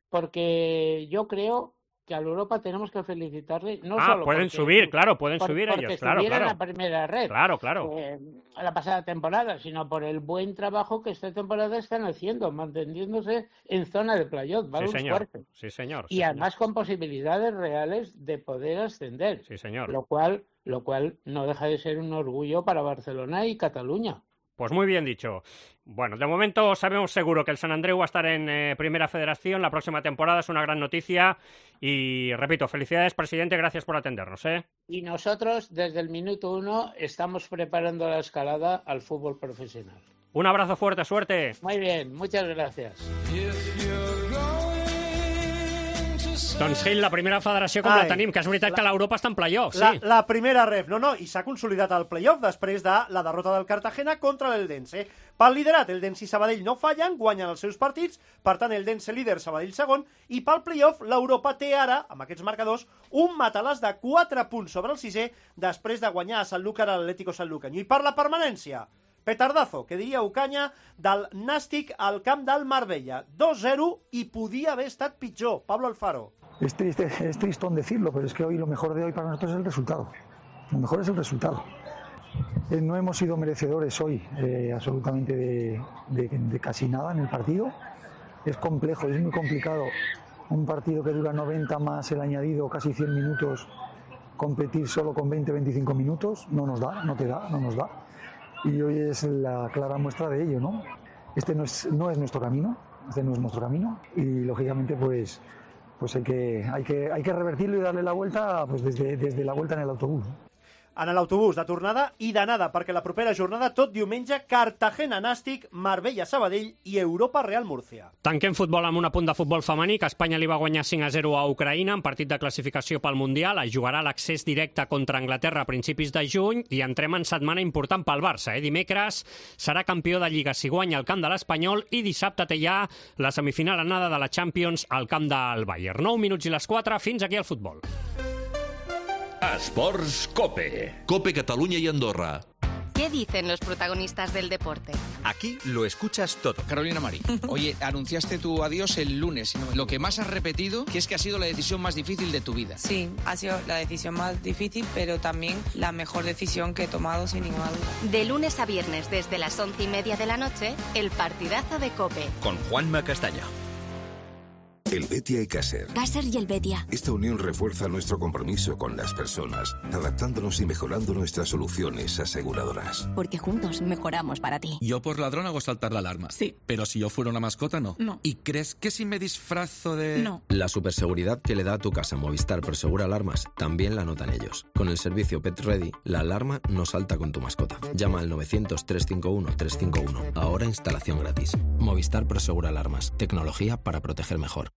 porque yo creo que al Europa tenemos que felicitarle. No solo pueden subir, pueden subir ellos, claro. Porque la primera red. Claro. La pasada temporada, sino por el buen trabajo que esta temporada están haciendo, manteniéndose en zona de playoff, ¿vale? Sí, señor. Y además con posibilidades reales de poder ascender. Sí, señor. Lo cual no deja de ser un orgullo para Barcelona y Cataluña. Pues muy bien dicho. Bueno, de momento sabemos seguro que el Sant Andreu va a estar en Primera Federación la próxima temporada, es una gran noticia y, repito, felicidades, presidente, gracias por atendernos. Y nosotros, desde el minuto 1, estamos preparando la escalada al fútbol profesional. Un abrazo fuerte, suerte. Muy bien, muchas gracias. Doncs Gil, la primera federació com la tenim, que és veritat que l'Europa està en playoff, sí. La primera ref, i s'ha consolidat el playoff després de la derrota del Cartagena contra l'Eldense. Pel liderat, Eldense i Sabadell no fallen, guanyen els seus partits, per tant, Eldense líder, Sabadell segon, i pel playoff, l'Europa té ara, amb aquests marcadors, un matalàs de 4 punts sobre el sisè, després de guanyar a Sanlúcar a l'Atlético Sanlúcar. I per la permanència, petardazo, que diria Ocaña, del Nàstic al camp del Marbella. 2-0 i podia haver estat pitjor. Pablo Alfaro. Es tristón decirlo, pero es que hoy lo mejor de hoy para nosotros es el resultado. Lo mejor es el resultado. No hemos sido merecedores hoy absolutamente de casi nada en el partido. Es complejo, es muy complicado. Un partido que dura 90 más el añadido, casi 100 minutos, competir solo con 20-25 minutos, no nos da, no nos da. Y hoy es la clara muestra de ello, ¿no? Este no es nuestro camino, y lógicamente pues hay que revertirlo y darle la vuelta pues desde la vuelta en el autobús. En l'autobús de tornada i d'anada, perquè la propera jornada, tot diumenge, Cartagena-Nàstic, Marbella-Sabadell i Europa-Real Múrcia. Tanquem futbol amb un apunt de futbol femení, que Espanya li va guanyar 5-0 a Ucraïna en partit de classificació pel Mundial. Es jugarà l'accés directe contra Anglaterra a principis de juny i entrem en setmana important pel Barça. Dimecres serà campió de Lliga si guanya al camp de l'Espanyol i dissabte té ja la semifinal anada de la Champions al camp del Bayern. 9 minuts i les 4, fins aquí el futbol. Esports Cope. Cope Catalunya y Andorra. ¿Qué dicen los protagonistas del deporte? Aquí lo escuchas todo. Carolina Marín, oye, anunciaste tu adiós el lunes. Lo que más has repetido, que es que ha sido la decisión más difícil de tu vida. Sí, ha sido la decisión más difícil, pero también la mejor decisión que he tomado, sin ninguna duda. De lunes a viernes, desde las 11:30 de la noche, el partidazo de COPE. Con Juanma Castaño. El Betia y Caser. Caser y el Betia. Esta unión refuerza nuestro compromiso con las personas, adaptándonos y mejorando nuestras soluciones aseguradoras. Porque juntos mejoramos para ti. Yo por ladrón hago saltar la alarma. Sí. Pero si yo fuera una mascota, no. No. ¿Y crees que si me disfrazo de...? No. La superseguridad que le da a tu casa Movistar Prosegura Alarmas también la notan ellos. Con el servicio Pet Ready, la alarma no salta con tu mascota. Llama al 900-351-351. Ahora instalación gratis. Movistar Prosegura Alarmas. Tecnología para proteger mejor.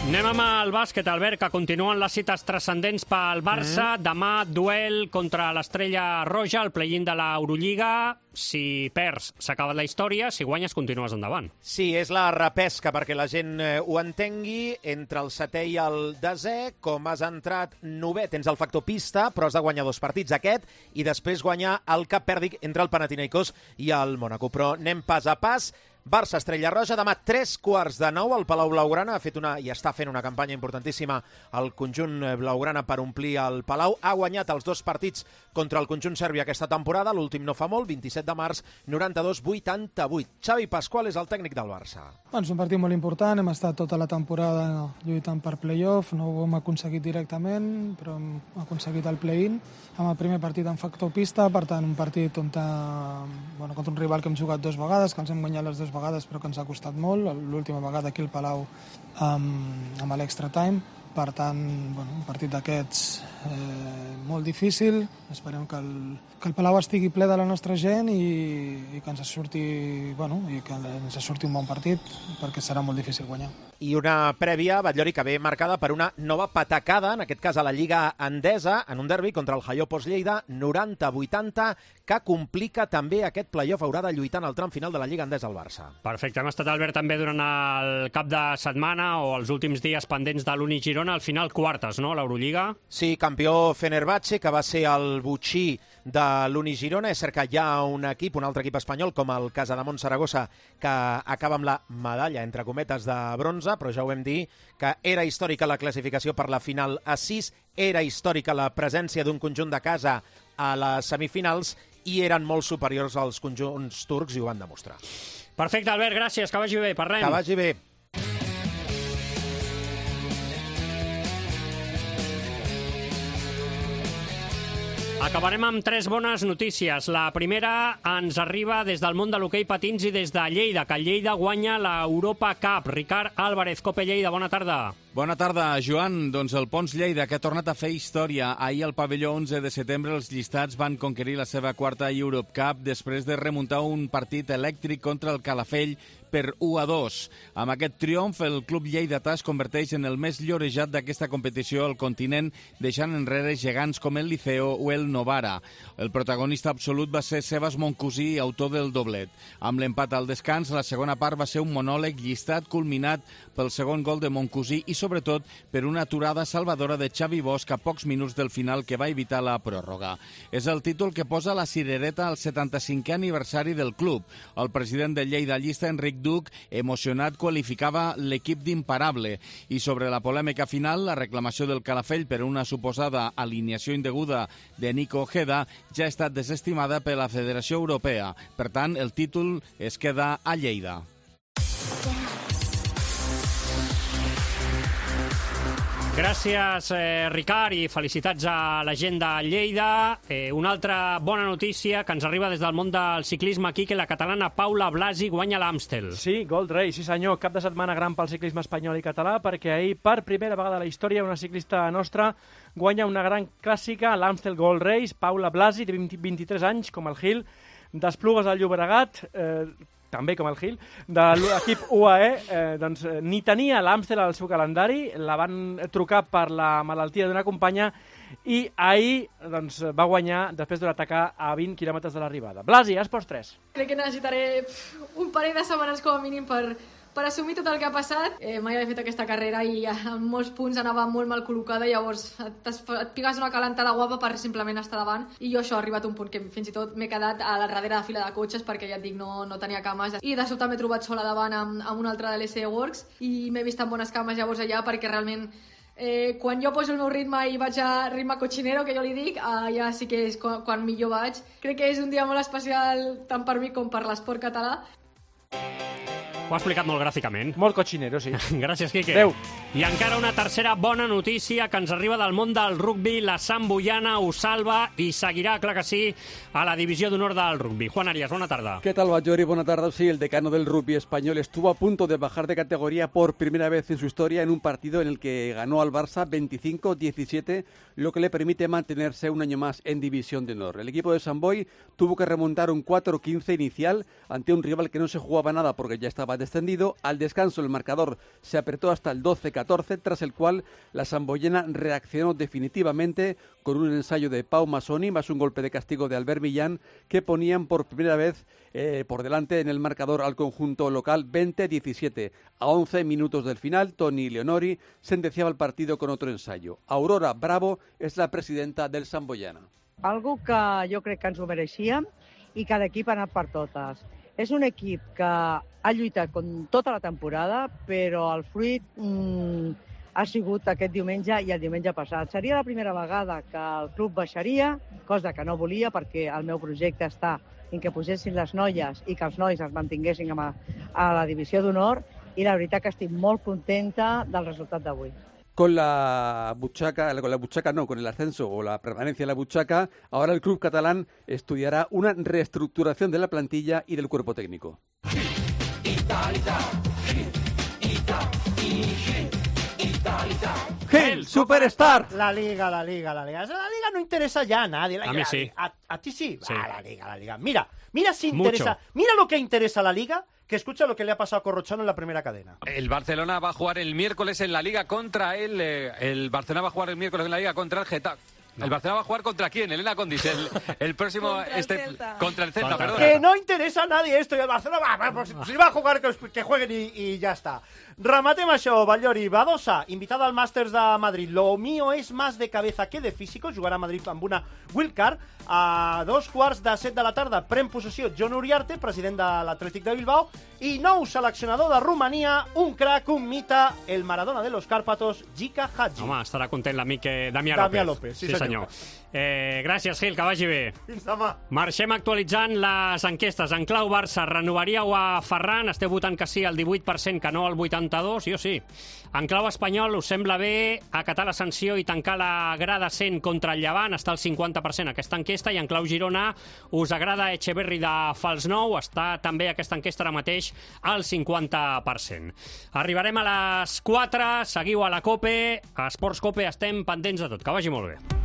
Anem amb el bàsquet, Albert, que continuen les cites transcendents pel Barça. Demà, duel contra l'Estrella Roja, el play-in de l'Eurolliga. Si perds, s'ha acabat la història. Si guanyes, continues endavant. Sí, és la repesca, perquè la gent ho entengui. Entre el setè i el desè, com has entrat novè, tens el factor pista, però has de guanyar 2 partits, aquest, i després guanyar el cap pèrdic entre el Panathinaikos i el Mónaco. Però anem pas a pas. Barça, Estrella Roja, demà 8:45 al Palau Blaugrana. Ha fet i està fent una campanya importantíssima el conjunt blaugrana per omplir el Palau. Ha guanyat els 2 partits contra el conjunt serbi aquesta temporada. L'últim no fa molt, 27 de març, 92-88. Xavi Pascual és el tècnic del Barça. Bueno, és un partit molt important. Hem estat tota la temporada lluitant per playoff. No ho hem aconseguit directament, però hem aconseguit el play-in. Amb el primer partit en factor pista, per tant, un partit on contra un rival que hem jugat 2 vegades, que ens hem guanyat les 2 vegades, però que ens ha costat molt. L'última vegada aquí al Palau amb l'extra time. Per tant, un partit d'aquests molt difícil. Esperem que el Palau estigui ple de la nostra gent i que ens surti, i que ens surti un bon partit, perquè serà molt difícil guanyar. I una prèvia, Batllori, que ve marcada per una nova patacada, en aquest cas a la Lliga Endesa, en un derbi contra el Jaiopos Lleida, 90-80, que complica també aquest play-off. Haurà de lluitar en el tram final de la Lliga Endesa al Barça. Perfecte. Hem estat, Albert, també durant el cap de setmana o els últims dies pendents de l'Uni Girona, al final quartes, no?, l'Eurolliga. Sí, campió Fenerbahçe, que va ser el butxí de l'Uni Girona. És cert que hi ha un altre equip espanyol, com el Casademont Saragossa, que acaba amb la medalla, entre cometes, de bronze, però ja ho vam dir, que era històrica la classificació per la final a 6, era històrica la presència d'un conjunt de casa a les semifinals i eren molt superiors als conjunts turcs i ho van demostrar. Perfecte, Albert, gràcies, que vagi bé, parlem. Que vagi bé. Acabarem amb 3 bones notícies. La primera ens arriba des del món de l'hoquei patins i des de Lleida, que Lleida guanya l'Europa Cup. Ricard Álvarez, Cope Lleida, bona tarda. Bona tarda, Joan. Doncs el Pons Lleida, que ha tornat a fer història. Ahir al pavelló 11 de setembre els llistats van conquerir la seva quarta Europe Cup després de remuntar un partit elèctric contra el Calafell per 1-2. Amb aquest triomf, el club lleidatà es converteix en el més llorejat d'aquesta competició al continent, deixant enrere gegants com el Liceo o el Novara. El protagonista absolut va ser Sebas Moncusí, autor del doblet. Amb l'empat al descans, la segona part va ser un monòleg llistat culminat pel segon gol de Moncusí i sobretot per una aturada salvadora de Xavi Bosch a pocs minuts del final que va evitar la pròrroga. És el títol que posa la cirereta al 75è aniversari del club. El president del Lleida llista, Enric Duc, emocionat, qualificava l'equip d'imparable. I sobre la polèmica final, la reclamació del Calafell per una suposada alineació indeguda de Nico Ojeda ja ha estat desestimada per la Federació Europea. Per tant, el títol es queda a Lleida. Gràcies, Ricard, i felicitats a la gent de Lleida. Una altra bona notícia que ens arriba des del món del ciclisme aquí, que la catalana Paula Blasi guanya l'Amstel. Sí, Gold Race, sí senyor, cap de setmana gran pel ciclisme espanyol i català, perquè ahir, per primera vegada a la història, una ciclista nostra guanya una gran clàssica, l'Amstel Gold Race. Paula Blasi, de 23 anys, com el Gil, d'Esplugues al Llobregat, també com el Gil, de l'equip UAE, doncs ni tenia l'Amstel al seu calendari, la van trucar per la malaltia d'una companya i ahir doncs, va guanyar després d'un atacar a 20 quilòmetres de l'arribada. Blasi, Esports 3. Crec que necessitaré un parell de setmanes com a mínim per assumir tot el que ha passat. Mai havia fet aquesta carrera i en molts punts anava molt mal col·locada, llavors et pigues una calentada guapa per simplement estar davant, i jo això ha arribat a un punt que fins i tot m'he quedat a la darrere de fila de cotxes perquè ja et dic, no tenia cames, i de sobte m'he trobat sola davant amb un altre de l'SE Works i m'he vist amb bones cames llavors allà, perquè realment quan jo poso el meu ritme i vaig a ritme cochinero, que jo li dic, ja sí que és quan millor vaig. Crec que és un dia molt especial tant per mi com per l'esport català. Ho ha explicat molt gràficament. Molt cochinero, sí. Gràcies, Quique. Adéu. I encara una tercera bona notícia que ens arriba del món del rugbi. La Samboyana ho salva i seguirà, clar que sí, a la divisió d'honor del rugbi. Juan Arias, bona tarda. ¿Qué tal, Batllori? Buena tarde. Sí, el decano del rugby español estuvo a punto de bajar de categoría por primera vez en su historia en un partido en el que ganó al Barça 25-17, lo que le permite mantenerse un año más en división de honor. El equipo de Sant Boi tuvo que remontar un 4-15 inicial ante un rival que no se jugaba nada porque ya estaba descendido. Al descanso el marcador se apretó hasta el 12-14, tras el cual la samboyana reaccionó definitivamente con un ensayo de Pau Masoni más un golpe de castigo de Albert Millán, que ponían por primera vez por delante en el marcador al conjunto local 20-17. A 11 minutos del final, Toni Leonori sentenciaba el partido con otro ensayo. Aurora Bravo és la presidenta del Samboyana. Algo que jo crec que ens ho mereixíem i cada equip ha anat per totes. És un equip que ha lluitat tota la temporada, però el fruit ha sigut aquest diumenge i el diumenge passat. Seria la primera vegada que el club baixaria, cosa que no volia, perquè el meu projecte està en que posessin les noies i que els nois es mantinguessin a la divisió d'honor, i la veritat que estic molt contenta del resultat d'avui. Con el ascenso o la permanencia en la buchaca, ahora el club catalán estudiará una reestructuración de la plantilla y del cuerpo técnico. Gels, Superstar. La Liga. La Liga no interesa ya a nadie. A mí sí. ¿A ti sí? Sí. La Liga. Mira si interesa. Mucho. Mira lo que interesa a la Liga, que escucha lo que le ha pasado a Corrochano en la primera cadena. El Barcelona va a jugar el miércoles en la Liga contra el Barcelona va a jugar el miércoles en la Liga contra el Getafe. No. ¿El Barcelona va a jugar contra quién? Elena Condis, el próximo... contra el Celta, perdón. Que no interesa a nadie esto, y el Barcelona pues, si va a jugar, que jueguen y ya está. Rematem això, Batllori. Badosa, invitada al Masters de Madrid. Lo mío es más de cabeza que de físico. Jugarà a Madrid amb una wildcard. A 2:15 de la tarda pren possessió John Uriarte, president de l'Atlètic de Bilbao, i nou seleccionador de Romania, un crac, un mite, el Maradona de los Cárpatos, Gica Hagi. Home, estarà content l'amic Damià López. Sí, senyor. Gràcies, Gil, que vagi bé. Fins demà. Marxem actualitzant les enquestes. En clau Barça, renovaríeu a Ferran? Esteu votant que sí al 18%, que no al 82%? Jo sí. En clau espanyol, us sembla bé acatar la sanció i tancar la grada 100 contra el Llevant? Està al 50% aquesta enquesta. I en clau Girona, us agrada Echeverri de Fals Nou? Està també aquesta enquesta ara mateix al 50%. Arribarem a les 4, seguiu a la COPE, a Esports COPE, estem pendents de tot. Que vagi molt bé.